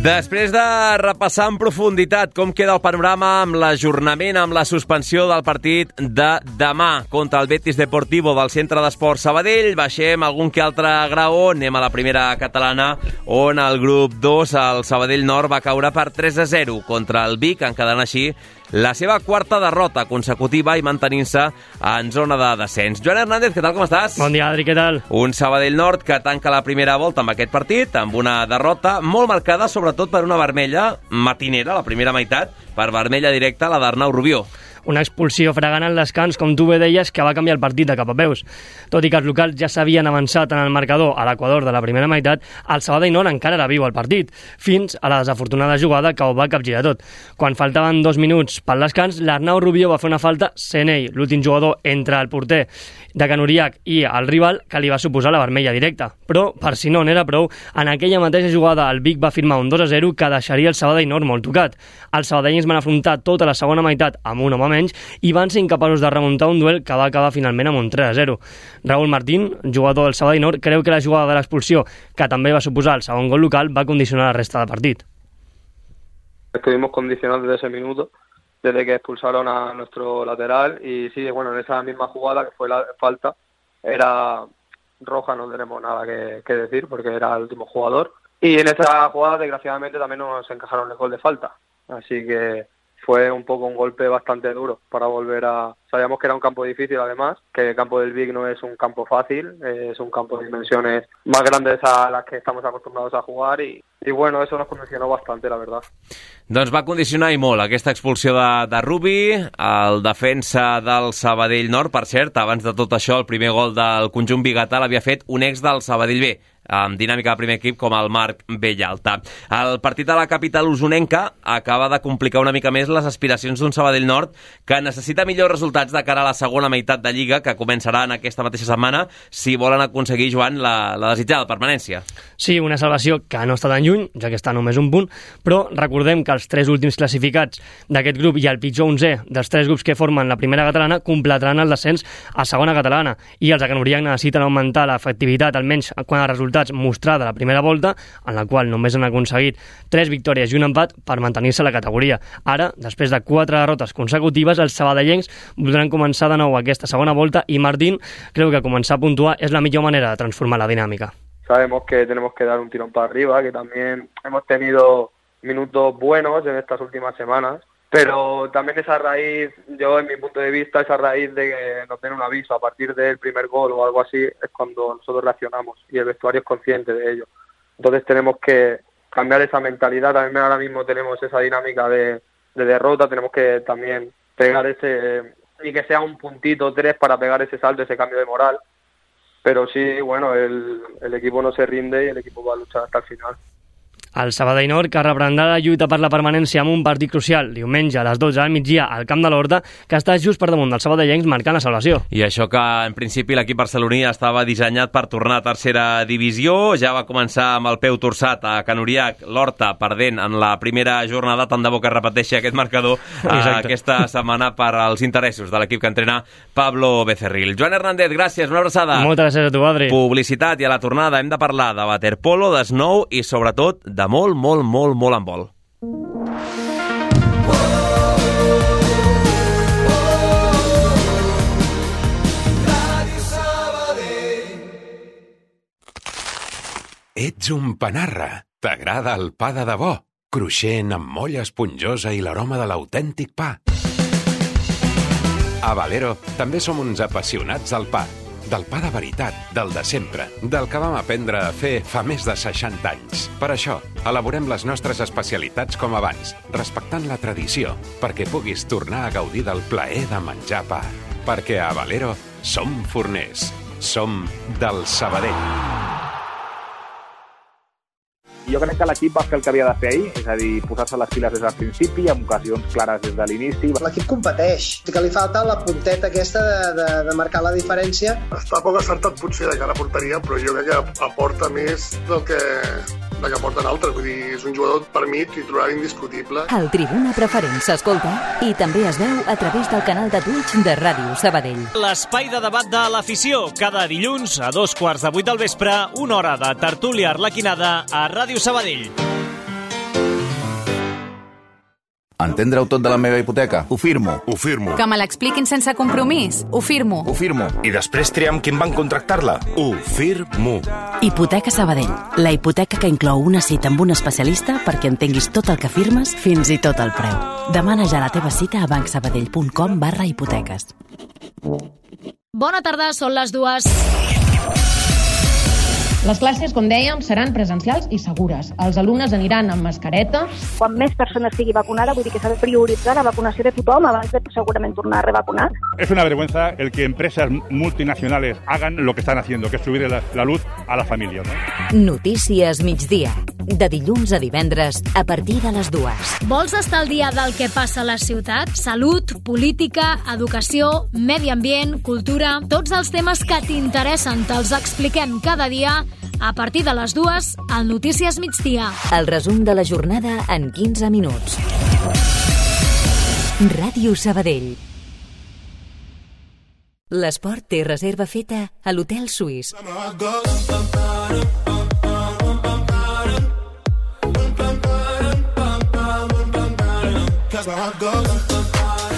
Després de repassar en profunditat com queda el panorama amb l'ajornament, amb la suspensió del partit de demà contra el Betis Deportivo del Centre d'Esports Sabadell, baixem algun que altre graó, anem a la primera catalana, on el grup 2, el Sabadell Nord, va caure per 3-0 contra el Vic, encadenant així la seva quarta derrota consecutiva i mantenint-se en zona de descens. Joan Hernández, què tal, com estàs? Bon dia, Adri, què tal? Un Sabadell Nord que tanca la primera volta amb aquest partit, amb una derrota molt marcada, sobretot per una vermella matinera, la primera meitat, per vermella directa, la d'Arnau Rubió. Una expulsió fregant en descans, com tu bé deies, que va canviar el partit de cap a peus. Tot i que els locals ja s'havien avançat en el marcador a l'equador de la primera meitat, el Sabadell Nord encara era viu al partit, fins a la desafortunada jugada que ho va capgirar tot. Quan faltaven 2 minuts pel descans, l'Arnau Rubió va fer una falta, sent ell l'últim jugador entre el porter de Can Uriach i el rival, que li va suposar la vermella directa. Però, per si no n'era prou, en aquella mateixa jugada el Vic va firmar un 2-0 que deixaria el Sabadell Nord molt tocat. Els sabadellins van afrontar tota la segona meitat amb un home menys i van ser incapaços de remuntar un duel que va acabar finalment amb un 3-0. Raúl Martín, jugador del Sabadell Nord, creu que la jugada de l'expulsió, que també va suposar el segon gol local, va condicionar la resta del partit. Estuvimos condicionados desde ese minuto, desde que expulsaron a nuestro lateral, y sí, bueno, en esa misma jugada que fue la falta, era roja, no tenemos nada que decir porque era el último jugador, y en esa jugada desgraciadamente también nos encajaron el gol de falta, así que fue un poco un golpe bastante duro para volver a... Sabíamos que era un campo difícil además, que el campo del Vic no es un campo fácil, es un campo de dimensiones más grandes a las que estamos acostumbrados a jugar y bueno, eso nos condicionó bastante, la verdad. Doncs va condicionar i molt aquesta expulsió de Rubi, el defensa del Sabadell Nord. Per cert, abans de tot això, el primer gol del conjunt biguetà l'havia fet un ex del Sabadell B, amb dinàmica de primer equip com el Marc Bellalta. El partit de la capital usonenca acaba de complicar una mica més les aspiracions d'un Sabadell Nord que necessita millors resultats de cara a la segona meitat de Lliga, que començarà en aquesta mateixa setmana, si volen aconseguir, Joan, la desitjada permanència. Sí, una salvació que no està tan lluny, ja que està només un punt, però recordem que els 3 últims classificats d'aquest grup i el pitjor 11è dels 3 grups que formen la primera catalana completaran el descens a segona catalana, i els de Can Uriach necessiten augmentar l'efectivitat, almenys quan els resultats mostrada la primera volta, en la qual només han aconseguit 3 victòries i un empat per mantenir-se a la categoria. Ara, després de 4 derrotes consecutives, els sabadellencs voldran començar de nou aquesta segona volta i Martín creu que començar a puntuar és la millor manera de transformar la dinàmica. Sabemos que tenemos que dar un tirón para arriba, que también hemos tenido minutos buenos en estas últimas semanas, pero también esa raíz, yo en mi punto de vista, esa raíz de que nos den un aviso a partir del primer gol o algo así, es cuando nosotros reaccionamos y el vestuario es consciente de ello. Entonces tenemos que cambiar esa mentalidad, también ahora mismo tenemos esa dinámica de derrota, tenemos que también pegar ese, y que sea un puntito 3 para pegar ese salto, ese cambio de moral, pero sí, bueno, el equipo no se rinde y el equipo va a luchar hasta el final. El Sabadell Nord, que reprendrà la lluita per la permanència amb un partit crucial diumenge a les 12 al migdia al Camp de l'Horta, que està just per damunt dels sabadellencs marcant la salvació. I això que, en principi, l'equip barceloní estava dissenyat per tornar a tercera divisió. Ja va començar amb el peu torçat a Can Uriach, l'Horta perdent en la primera jornada, tant de bo que repeteixi aquest marcador aquesta setmana per als interessos de l'equip que entrena Pablo Becerril. Joan Hernández, gràcies, una abraçada. Moltes gràcies a tu, Adri. Publicitat, i a la tornada hem de parlar de waterpolo, de snow i, sobretot, de molt handbol. Ets un panarra. T'agrada el pa de debò? Cruixent, amb molla esponjosa i l'aroma de l'autèntic pa. A Valero també som uns apassionats del pa de veritat, del de sempre, del que vam aprendre a fer fa més de 60 anys. Per això, elaborem les nostres especialitats com abans, respectant la tradició, perquè puguis tornar a gaudir del plaer de menjar pa. Perquè a Valero som forners, som del Sabadell. Jo crec que l'equip va fer el que havia de fer ahir, és a dir, posar-se les piles des del principi, amb ocasions clares des de l'inici. L'equip competeix, que li falta la punteta aquesta de marcar la diferència. Està poc acertat potser de cara a porteria, però jo crec que aporta més del que aporten altres. Vull dir, és un jugador, per mi, titular indiscutible. El Tribuna Preferent s'escolta i també es veu a través del canal de Twitch de Ràdio Sabadell. L'espai de debat de l'afició, cada dilluns a 2:15 del vespre, una hora de tertúlia arlequinada a Ràdio Sabadell. Entendre-ho tot de la meva hipoteca? Ho firmo. Ho firmo. Que me l'expliquin sense compromís? Ho firmo. Ho firmo. I després triar amb quin banc contractar-la? Ho firmo. Hipoteca Sabadell. La hipoteca que inclou una cita amb un especialista perquè entenguis tot el que firmes, fins i tot el preu. Demana ja la teva cita a bancsabadell.com/hipoteques. Bona tarda, són les 2. Les classes, com dèiem, seran presencials i segures. Els alumnes aniran amb mascareta. Quan més persones sigui vacunada, vull dir que s'ha de prioritzar la vacunació de tothom abans de segurament tornar a revacunar. Es una vergüenza el que empresas multinacionales hagan lo que están haciendo, que es subir la luz a las familias, ¿no? Notícies migdia, de dilluns a divendres a partir de les 2. Vols estar al dia del que passa a la ciutat? Salut, política, educació, medi ambient, cultura... Tots els temes que t'interessen te'ls expliquem cada dia a partir de les 2 al Notícies migdia. El resum de la jornada en 15 minuts. Ràdio Sabadell. L'esport té reserva feta a l'Hotel Suís.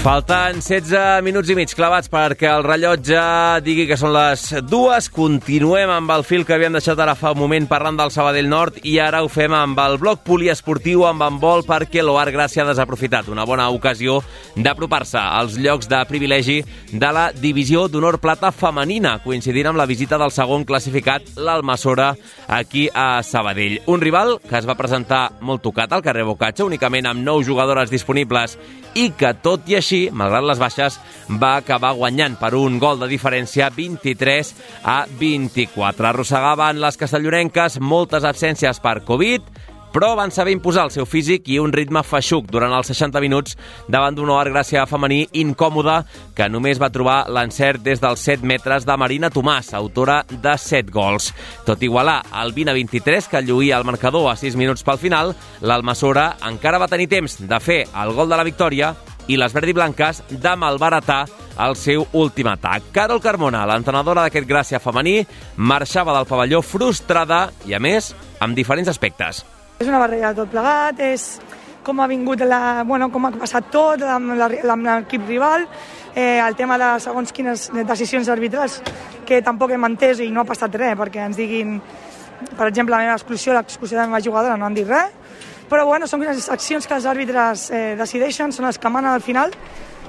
Falten 16 minuts i mig clavats perquè el rellotge digui que són les 2. Continuem amb el fil que havíem deixat ara fa un moment parlant del Sabadell Nord i ara ho fem amb el bloc poliesportiu amb handbol perquè l'Oar Gràcia ha desaprofitat una bona ocasió d'apropar-se als llocs de privilegi de la divisió d'honor plata femenina, coincidint amb la visita del segon classificat, l'Almassora, aquí a Sabadell. Un rival que es va presentar molt tocat al carrer Bocatge, únicament amb 9 jugadores disponibles i que, tot i així, malgrat les baixes, va acabar guanyant per un gol de diferència 23-24. Arrossegaven les castellonenques moltes absències per Covid, però van saber imposar el seu físic i un ritme feixuc durant els 60 minuts davant d'un Oar Gràcia femení incòmode que només va trobar l'encert des dels 7 metres de Marina Tomàs, autora de 7 gols. Tot igualar el 20-23 que lluïa el marcador a 6 minuts pel final, l'Almassora encara va tenir temps de fer el gol de la victòria i les verdiblanques de malbaratar el seu últim atac. Carol Carmona, l'entrenadora d'aquest Gràcia femení, marxava del pavelló frustrada i, a més, amb diferents aspectes. És una barreja de tot plegat, és com ha vingut com ha passat tot amb l'equip rival, el tema de segons quines decisions arbitrals que tampoc hem entès i no ha passat res, perquè ens diguin, per exemple, la meva l'exclusió de la meva jugadora, no han dit res, però són les accions que els àrbitres decideixen, són les que manen al final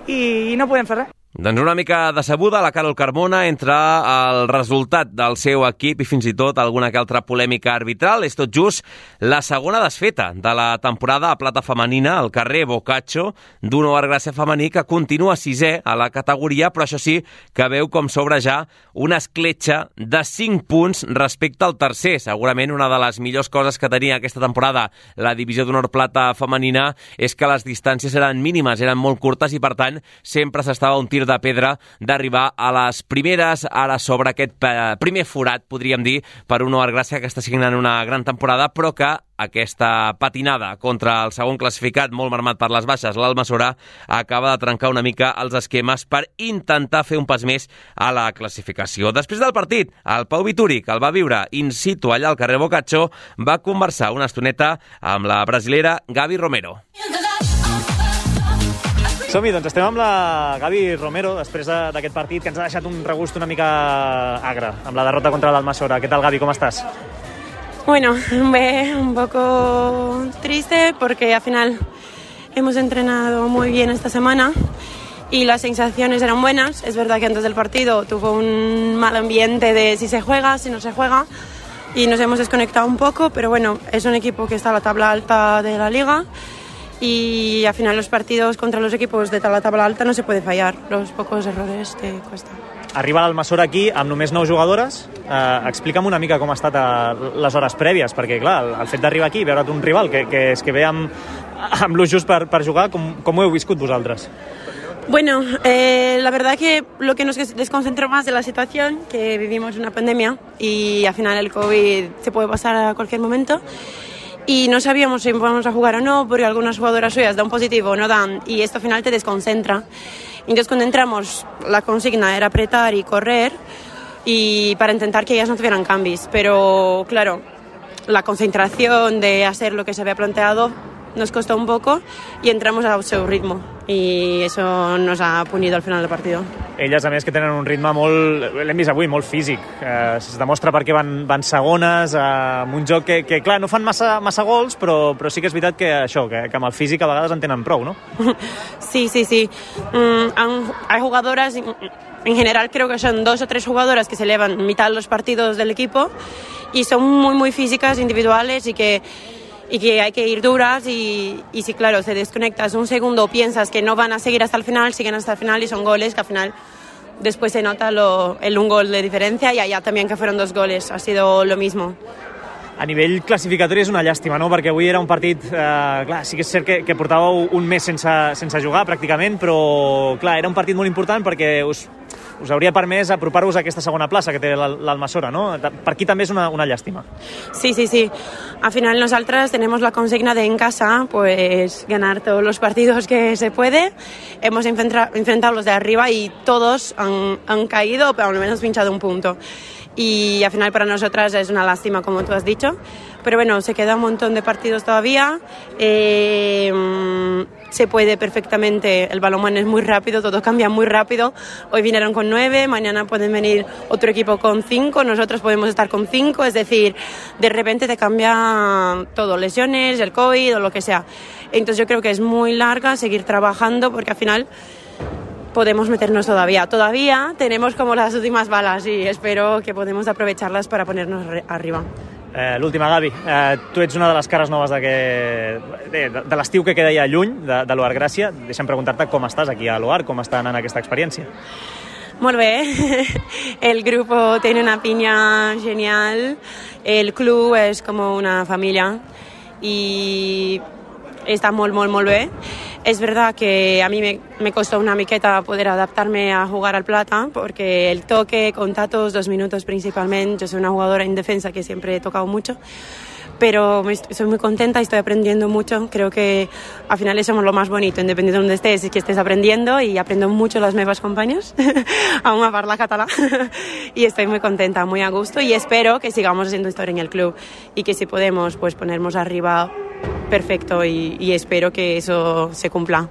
i no podem fer res. Doncs una mica decebuda la Carol Carmona entre el resultat del seu equip i fins i tot alguna que altra polèmica arbitral. És tot just la segona desfeta de la temporada a plata femenina al carrer Bocaccio d'un Oar Gràcia femení que continua 6è a la categoria, però això sí que veu com s'obre ja una escletxa de 5 punts respecte al tercer. Segurament una de les millors coses que tenia aquesta temporada la divisió d'honor plata femenina és que les distàncies eren mínimes, eren molt curtes i per tant sempre s'estava un tir de pedra d'arribar a les primeres. Ara sobre aquest primer forat, podríem dir, per un Oar Gràcia que està signant una gran temporada, però que aquesta patinada contra el segon classificat, molt marmat per les baixes, l'Almassora, acaba de trencar una mica els esquemes per intentar fer un pas més a la classificació. Després del partit, el Pau Vituri, que el va viure in situ allà al carrer Bocaccio, va conversar una estoneta amb la brasilera Gabi Romero. Som-hi, doncs estem amb la Gabi Romero després d'aquest partit que ens ha deixat un regust una mica agre amb la derrota contra l'Almassora. ¿Qué tal, Gabi? ¿Cómo estás? Bueno, un poco triste porque al final hemos entrenado muy bien esta semana y las sensaciones eran buenas. Es verdad que antes del partido tuvo un mal ambiente de si se juega, si no se juega, y nos hemos desconectado un poco, pero bueno, es un equipo que está a la tabla alta de la liga y al final los partidos contra los equipos de la tabla alta no se puede fallar, los pocos errores te cuestan. Arriba l'Almassora aquí amb només 9 jugadores. Explica'm una mica com ha estat les hores prèvies, perquè clar, el fet d'arribar aquí i veure't un rival que és que ve amb lo just per jugar, com ho heu viscut vosaltres? Bueno, la verdad que lo que nos desconcentró más de la situación, que vivimos una pandemia y al final el COVID se puede pasar a cualquier momento y no sabíamos si vamos a jugar o no, porque algunas jugadoras suyas dan positivo o no dan y esto al final te desconcentra. Entonces cuando entramos la consigna era apretar y correr y para intentar que ellas no tuvieran cambios, pero claro, la concentración de hacer lo que se había planteado nos costó un poco y entramos a su ritmo i això nos ha punido al final del partit. Elles, a més, que tenen un ritme molt, l'hem vist avui, molt físic. Es demostra perquè van segones, amb un joc que clar, no fan massa gols, però sí que és veritat que això, que amb el físic a vegades en tenen prou, no? Sí. Hay jugadoras, en general creo que son 2 o 3 jugadoras que se elevan mitad de los partidos del equipo y son muy físicas, individuales y que hay que ir duras y si claro, te desconectas un segundo, piensas que no van a seguir hasta el final, siguen hasta el final y son goles que al final después se nota el un gol de diferencia y allá también que fueron 2 goles, ha sido lo mismo. A nivell classificatori és una llàstima, no? Perquè avui era un partit, clar, sí que és cert que portàveu un mes sense jugar pràcticament, però clar, era un partit molt important perquè us hauria permès apropar-vos a aquesta segona plaça que té l'Almassora, no? Per aquí també és una llàstima. Sí. Al final nosotras tenemos la consigna de en casa pues ganar todos los partidos que se puede. Hemos enfrentado los de arriba y todos han caído, pero al menos pinchado un punto. Y al final para nosotras es una lástima, como tú has dicho. Pero bueno, se queda un montón de partidos todavía. Se puede perfectamente, el balonmano es muy rápido, todo cambia muy rápido. Hoy vinieron con 9, mañana pueden venir otro equipo con 5, nosotros podemos estar con 5, es decir, de repente te cambia todo, lesiones, el COVID o lo que sea. Entonces yo creo que es muy larga seguir trabajando porque al final podemos meternos todavía. Todavía tenemos como las últimas balas y espero que podemos aprovecharlas para ponernos arriba. L'última, Gavi. Tu ets una de les cares noves de l'estiu que queda ja lluny, de l'Oar Gràcia. Deixa'm preguntar-te com estàs aquí a l'Oar, com està anant aquesta experiència. Molt bé. El grupo tiene una piña genial. El club es como una familia y está molt bé. Es verdad que a mí me costó una miqueta poder adaptarme a jugar al plata porque el toque, contactos, 2 minutos principalmente. Yo soy una jugadora en defensa que siempre he tocado mucho, pero soy muy contenta y estoy aprendiendo mucho. Creo que al final eso es lo más bonito, independiente de donde estés, es que estés aprendiendo y aprendo mucho las meves compañeros aún a parlar català y estoy muy contenta, muy a gusto y espero que sigamos haciendo historia en el club y que si podemos pues ponernos arriba perfecto y espero que eso se cumpla.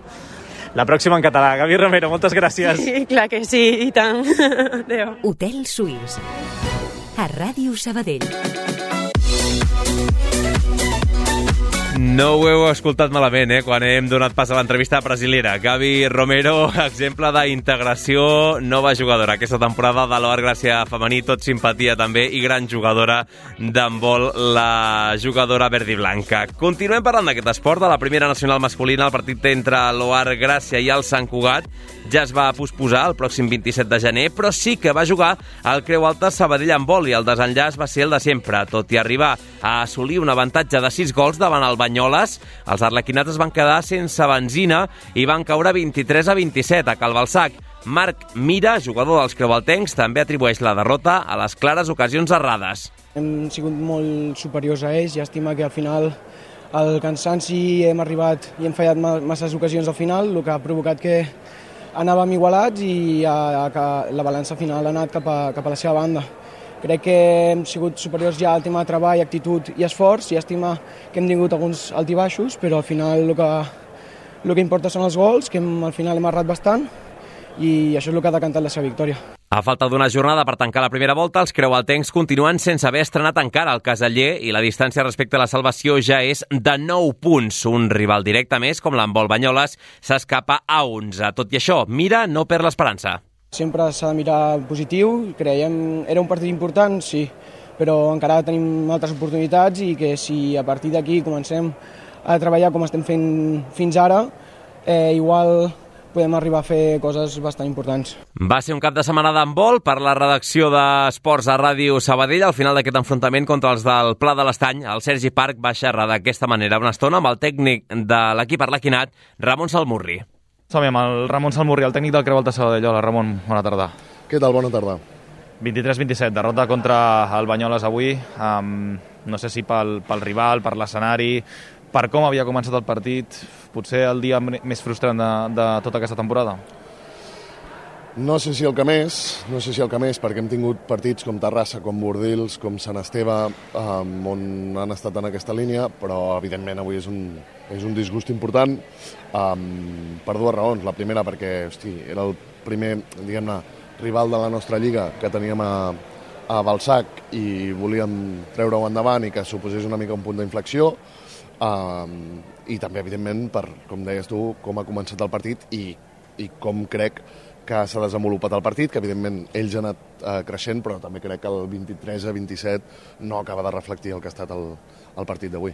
La pròxima en català. Gavi Romero, moltes gràcies. Sí, clar que sí, i tant. Adéu. Hotel Suís, a Ràdio Sabadell. No ho heu escoltat malament, quan hem donat pas a l'entrevista brasilera. Gavi Romero, exemple d'integració, nova jugadora aquesta temporada de l'Oar Gràcia femení, tot simpatia també, i gran jugadora d'handbol, la jugadora verd i blanca. Continuem parlant d'aquest esport, de la primera nacional masculina. El partit entre l'Oar Gràcia i el Sant Cugat ja es va posposar el pròxim 27 de gener, però sí que va jugar al Creu Alta Sabadell Handbol i el desenllaç va ser el de sempre. Tot i arribar a assolir un avantatge de 6 gols davant el Banyoles, els arlequinats es van quedar sense benzina i van caure 23-27 a Calbalsac. Marc Mira, jugador dels creualtencs, també atribueix la derrota a les clares ocasions errades. Hem sigut molt superiors a ells, llàstima que al final el cansanci hem arribat i hem fallat masses ocasions al final, el que ha provocat que anàvem igualats i que la balança final ha anat cap a la seva banda. Crec que hem sigut superiors ja al tema de treball, actitud i esforç. Llàstima que hem tingut alguns altibaixos, però al final el que importa són els gols, que al final hem errat bastant, i això és el que ha decantat la seva victòria. A falta d'una jornada per tancar la primera volta, els creualtencs continuen sense haver estrenat encara el Caseller i la distància respecte a la salvació ja és de 9 punts. Un rival directe més, com l'handbol Banyoles, s'escapa a 11. Tot i això, Mira no perd l'esperança. Sempre s'ha de mirar positiu, creiem era un partit important, sí, però encara tenim altres oportunitats i que si a partir d'aquí comencem a treballar com estem fent fins ara, igual podem arribar a fer coses bastant importants. Va ser un cap de setmana d'handbol per la redacció d'Esports a Ràdio Sabadell. Al final d'aquest enfrontament contra els del Pla de l'Estany, el Sergi Parc va xerrar d'aquesta manera una estona amb el tècnic de l'equip arlequinat, Ramon Salmurri. Som amb el Ramon Salmurri, el tècnic del Creu Alta Sabadell. Hola, Ramon, bona tarda. Què tal? Bona tarda. 23-27, derrota contra el Banyoles avui. No sé si pel rival, per l'escenari, per com havia començat el partit, potser el dia més frustrant de tota aquesta temporada? No sé si el que més, perquè hem tingut partits com Terrassa, com Bordils, com Sant Esteve, on han estat en aquesta línia, però evidentment avui és un disgust important per dues raons. La primera perquè era el primer, diguem-ne, rival de la nostra lliga que teníem a Balsac i volíem treure-ho endavant i que suposés una mica un punt d'inflexió. I també, evidentment, per, com deies tu, com ha començat el partit i com crec que s'ha desenvolupat el partit, que evidentment ells han anat creixent, però també crec que el 23-27 no acaba de reflectir el que ha estat el partit d'avui.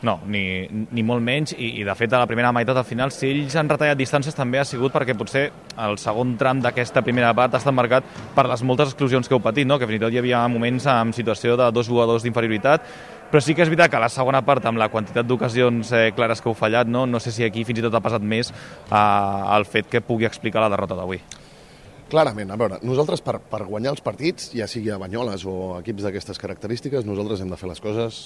No, ni molt menys, i de fet a la primera meitat al final, si ells han retallat distàncies també ha sigut perquè potser el segon tram d'aquesta primera part ha estat marcat per les moltes exclusions que heu patit, no? Que fins i tot hi havia moments en situació de 2 jugadors d'inferioritat, però sí que és veritat que a la segona part, amb la quantitat d'ocasions clares que heu fallat, no sé si aquí fins i tot ha passat més el fet que pugui explicar la derrota d'avui. Clarament, a veure, nosaltres per guanyar els partits, ja sigui a Banyoles o equips d'aquestes característiques, nosaltres hem de fer les coses,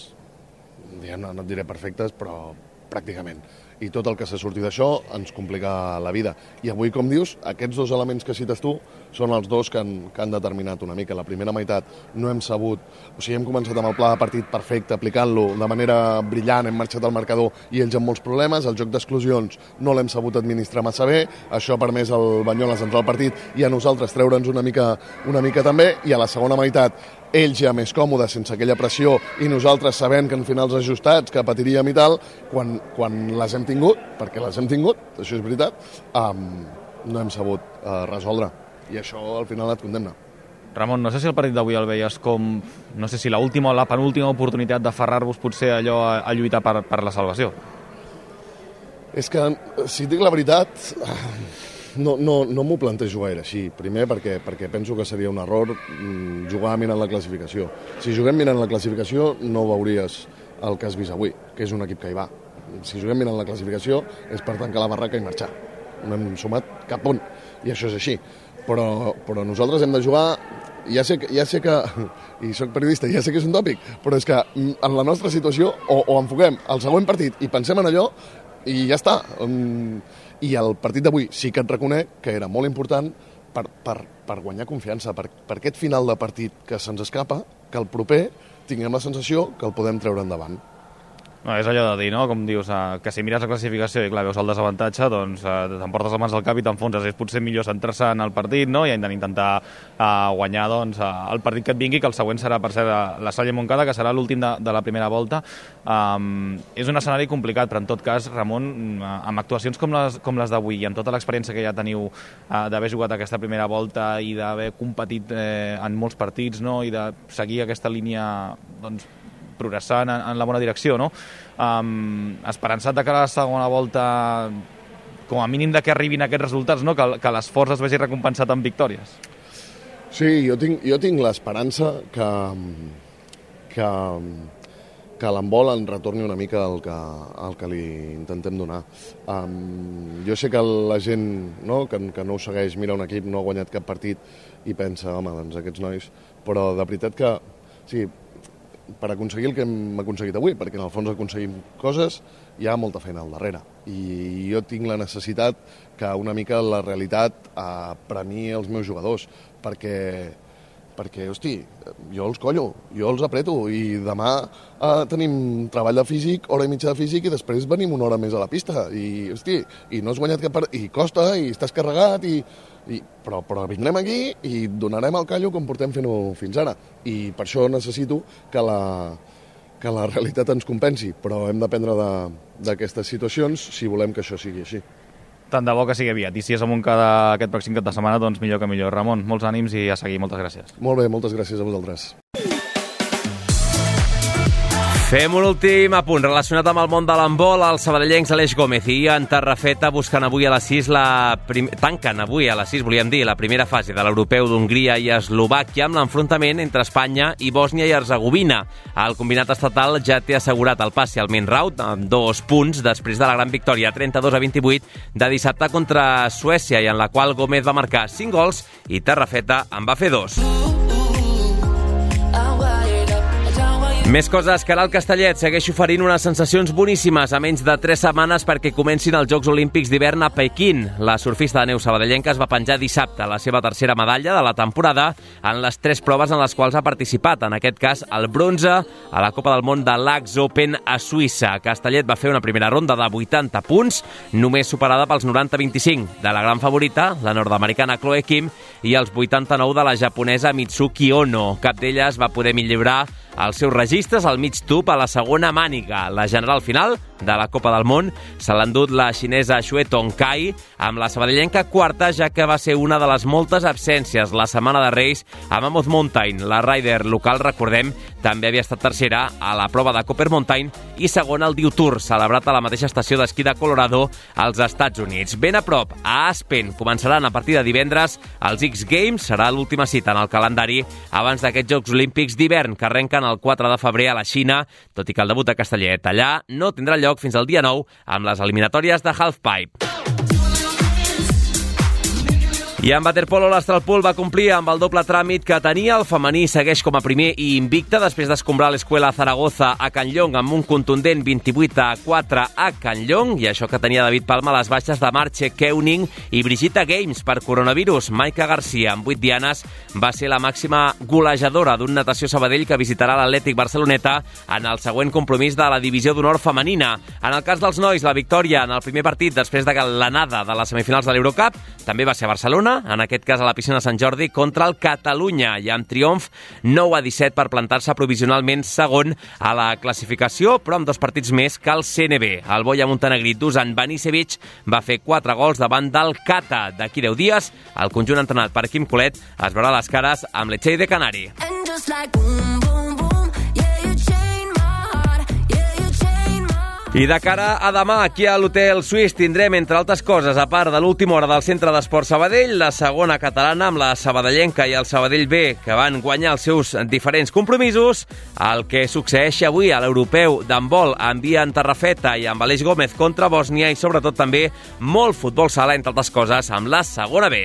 no et diré perfectes, però pràcticament. I tot el que s'ha sortit d'això ens complica la vida. I avui, com dius, aquests dos elements que cites tu són els dos que han determinat una mica. La primera meitat no hem sabut... O sigui, hem començat amb el pla de partit perfecte, aplicant-lo de manera brillant, hem marxat al marcador i ells amb molts problemes. El joc d'exclusions no l'hem sabut administrar massa bé. Això ha permès al Banyoles entrar al partit i a nosaltres treure'ns una mica també. I a la segona meitat ells ja més còmodes, sense aquella pressió, i nosaltres sabent que en finals ajustats, que patiríem i tal, quan les hem tingut, perquè les hem tingut, això és veritat, no hem sabut resoldre. I això al final et condemna. Ramon, no sé si el partit d'avui el veies com, no sé si l'última o la penúltima oportunitat d'aferrar-vos potser allò a lluitar per la salvació. És que, si dic la veritat... No m'ho plantejo gaire així. Primer perquè penso que seria un error jugar mirant la classificació. Si juguem mirant la classificació no veuries el que has vist avui, que és un equip que hi va. Si juguem mirant la classificació és per tancar la barraca i marxar. No hem sumat cap punt, i això és així. Però nosaltres hem de jugar... Ja sé que i soc periodista, ja sé que és un tòpic, però és que en la nostra situació o enfoquem el següent partit i pensem en allò i ja està. I el partit d'avui sí que et reconec que era molt important per guanyar confiança, per aquest final de partit que se'ns escapa, que el proper tinguem la sensació que el podem treure endavant. No, és allò de dir, no? Com dius, que si mires la classificació i clar, veus el desavantatge, doncs t'emportes les mans al cap i t'enfonses. És potser millor centrar-se en el partit, no? I intentar guanyar doncs, el partit que et vingui, que el següent serà, per ser la Salle Montcada, que serà l'últim de la primera volta. És un escenari complicat, però en tot cas, Ramon, amb actuacions com les d'avui i amb tota l'experiència que ja teniu d'haver jugat aquesta primera volta i d'haver competit en molts partits, no? I de seguir aquesta línia doncs, progressant en la bona direcció, no? Esperançat de cara a la segona volta, com a mínim de que arribin aquests resultats, no? Que l'esforç es vegi recompensat amb victòries. Sí, jo tinc l'esperança que l'handbol en retorni una mica el que li intentem donar. Jo sé que la gent, no, que no ho segueix, mira un equip, no ha guanyat cap partit i pensa, home, doncs aquests nois... Però de veritat que... Sí, per aconseguir el que hem aconseguit avui, perquè en el fons aconseguim coses, hi ha molta feina al darrere. I jo tinc la necessitat que una mica la realitat premiï els meus jugadors, perquè perquè, hosti, jo els collo, jo els apreto, i demà tenim treball de físic, hora i mitja de físic, i després venim una hora més a la pista, i, hosti, i no has guanyat cap part, i costa, i estàs carregat, però vindrem aquí i donarem el callo com portem fent-ho fins ara. I per això necessito que la realitat ens compensi, però hem d'aprendre d'aquestes situacions si volem que això sigui així. Tant de bo que sigui aviat. I si és amunt aquest pròxim cap de setmana, doncs millor que millor. Ramon, molts ànims i a seguir. Moltes gràcies. Molt bé, moltes gràcies a vosaltres. Fem un últim apunt relacionat amb el món de l'handbol. Els sabadellencs Aleix Gómez i Ian Tarrafeta busquen avui a les 6 tanquen avui a les 6, volíem dir, la primera fase de l'europeu d'Hongria i Eslovàquia amb l'enfrontament entre Espanya i Bòsnia i Herzegovina. El combinat estatal ja té assegurat el passi al main round amb 2 punts després de la gran victòria 32-28 de dissabte contra Suècia, i en la qual Gómez va marcar 5 gols i Tarrafeta en va fer 2. Més coses. Caral Castellet segueix oferint unes sensacions boníssimes a menys de 3 setmanes perquè comencin els Jocs Olímpics d'hivern a Pequín. La surfista de neu sabadellenca es va penjar dissabte la seva tercera medalla de la temporada en les 3 proves en les quals ha participat, en aquest cas el bronze a la Copa del Món de l'Ax Open a Suïssa. Castellet va fer una primera ronda de 80 punts, només superada pels 90-25 de la gran favorita, la nord-americana Chloe Kim, i els 89 de la japonesa Mitsuki Ono. Cap d'elles va poder millorar els seus registres al mig tub a la segona màniga. La general final de la Copa del Món se l'ha endut la xinesa Xue Tongkai, amb la sabadellenca quarta, ja que va ser una de les moltes absències la setmana de Reis a Mammoth Mountain. La rider local, recordem, també havia estat tercera a la prova de Copper Mountain i segona al Dew Tour, celebrat a la mateixa estació d'esquí de Colorado als Estats Units. Ben a prop, a Aspen, començaran a partir de divendres els X Games. Serà l'última cita en el calendari abans d'aquests Jocs Olímpics d'hivern que arrenquen el 4 de febrer a la Xina, tot i que el debut de Castellet allà no tindrà lloc fins al dia 9 amb les eliminatòries de Halfpipe. I en waterpolo l'Astralpool va complir amb el doble tràmit que tenia. El femení segueix com a primer i invicte després d'escombrar l'Escuela Zaragoza a Can Llong amb un contundent 28-4 a Can Llong, i això que tenia David Palma les baixes de Marche Keuning i Brigitte Games per coronavirus. Maica Garcia, amb 8 dianes, va ser la màxima golejadora d'un Natació Sabadell que visitarà l'Atlètic Barceloneta en el següent compromís de la divisió d'honor femenina. En el cas dels nois, la victòria en el primer partit després de l'anada de les semifinals de l'Eurocup també va ser a Barcelona, en aquest cas a la piscina Sant Jordi, contra el Catalunya, i amb triomf 9-17 per plantar-se provisionalment segon a la classificació, però amb 2 partits més que el CNB. El boia montenegrí Dusan Banisevic va fer 4 gols davant del Cata. D'aquí 10 dies, el conjunt entrenat per Quim Colet es veurà les cares amb l'Etxell de Canari. I de cara a demà, aquí a l'Hotel Suís tindrem, entre altres coses, a part de l'última hora del Centre d'Esport Sabadell, la segona catalana amb la sabadellenca i el Sabadell B, que van guanyar els seus diferents compromisos. El que succeeix avui a l'europeu d'handbol amb Ian Tarrafeta i amb Aleix Gómez contra Bòsnia, i sobretot també molt futbol sala, entre altres coses, amb la segona B.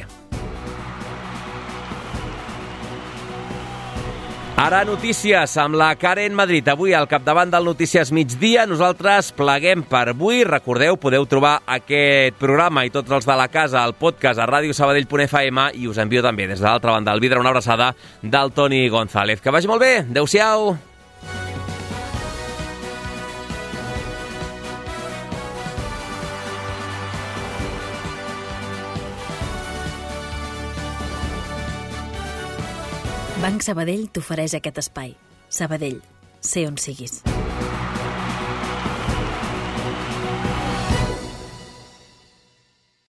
Ara notícies amb la Karen Madrid. Avui al capdavant del Notícies Migdia. Nosaltres pleguem per avui. Recordeu, podeu trobar aquest programa i tots els de la casa al podcast a radiosabadell.fm, i us envio també des de l'altra banda del vidre una abraçada del Toni González. Que vagi molt bé. Adéu-siau. Banc Sabadell t'ofereix aquest espai. Sabadell, sé on siguis.